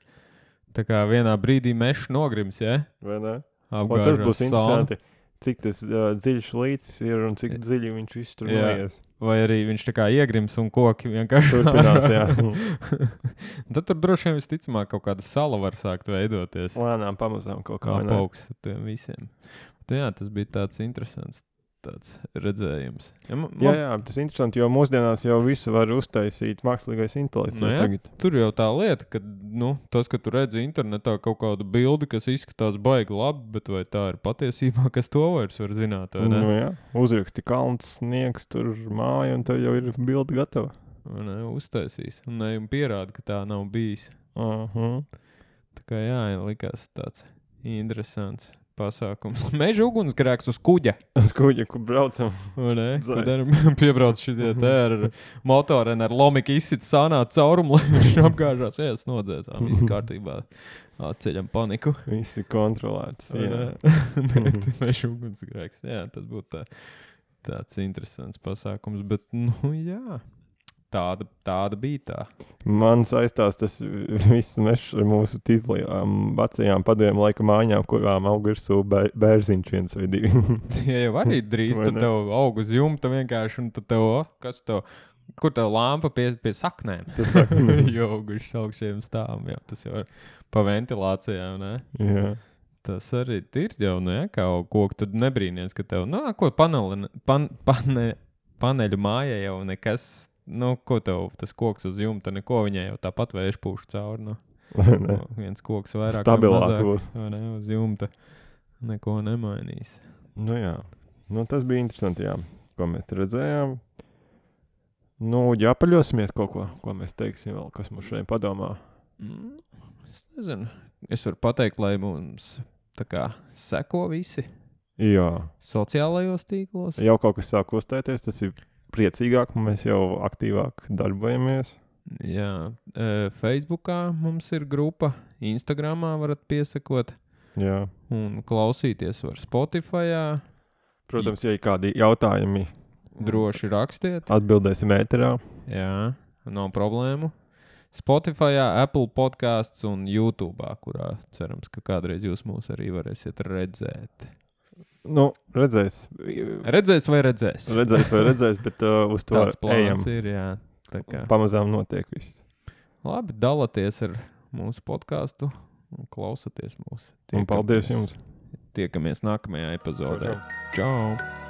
Tā kā vienā brīdī mešs nogrims, ja? vai ne? Un Apgāžās tas būs sauna. interesanti, cik tas uh, dziļš līcis ir un cik dziļi viņš viss tur Jā. noies. Vai arī viņš tā kā iegrims un koki vienkārši Turpinās, jā. Tad tur droši vien visticamāk kaut kāda sala var sākt veidoties. Lēnām pamazām kaut kā, vai ne? Apaugs ar tiem visiem. Bet, jā, tas bija tāds interesants tāds redzējums. Ja, man, Jā, jā, tas ir interesanti, jo mūsdienās jau visu var uztaisīt mākslīgais intelekts. Nu jau jā. tagad. Tur jau tā lieta, ka nu, tas, ka tu redzi internetā kaut kādu bildi, kas izskatās baigi labi, bet vai tā ir patiesībā, kas to vairs var zināt, vai ne? Nu, jā, uzraksti kalns, sniegs, tur māja, un tev jau ir bilde gatava. Vai ne? Uztaisīs. Un ne, un pierāda, ka tā nav bijis. Uh-huh. Tā kā jā, likās tāds interesants pasākums. Meža ugunsgrēks uz kuģa. Skuģi, kur braucam. Vai ne? Zaist. Kad ar piebrauc šitie te ar motoriem, ar lomiku izsit sānā caurumu, lai viņš apgāžās. Jā, es nodzēsām, viss kārtībā. Atceļam paniku. Visi kontrolēts. Vai Jā. ne? Bet meža ugunsgrēks. Jā, tas būtu tā, tāds interesants pasākums. Bet, nu jā, tāda, tāda bija tā. Man saistās tas viss mešs ar mūsu tīzlajām vecajām padomju laika mājām, kurām aug virsū bē- bērziņš viens vai divi. Ja jau arī drīz, Vai tad ne? tev aug uz jumta vienkārši, un tad tev, o, kas tev, kur tev lampa pie, pie saknēm? Tas saka, Jo augušas augšējiem stāvam, jau tas jau ir pa ventilācijām, ne? jā. Tas arī ir jau, ne, kā aug koku, tad nebrīnies, ka tev, nu, ko paneli, pan, pane, paneļu mājai jau nekas, nu, ko tev tas koks uz jumta, neko viņai jau tāpat vējš pūš cauri, nu. Vai ne? Viens koks vairāk vai Stabilāk mazāk, būs. vai ne, uz jumta neko nemainīs. Nu jā, nu, tas bija interesanti, jā, ko mēs te redzējām. Nu, jāpaļosimies kaut ko, ko mēs teiksim vēl, kas mums šodien padomā. Mm, es nezinu. Es varu pateikt, lai mums tā kā seko visi Jā, sociālajos tīklos. jau kaut kas sāk kustēties, tas ir priecīgāk, mēs jau aktīvāk darbojamies. Jā, e, Facebookā mums ir grupa, Instagramā varat piesakot Jā. un klausīties var Spotifyā. Protams, ja ir kādi jautājumi, Droši rakstiet. atbildēsim ēterā. Jā, nav problēmu. Spotifyā, Apple podcasts un YouTube'ā, kurā cerams, ka kādreiz jūs mūs arī varēsiet redzēt. Nu, redzēs. Redzēs vai redzēs? Redzēs vai redzēs, bet uh, uz to Tāds ejam. plāns ir, jā. Tā kā. Pamazām notiek viss. Labi, dalieties ar mūsu podkāstu un klausieties mūs. Un paldies jums! Tiekamies nākamajā epizodē. Čau, čau. Čau!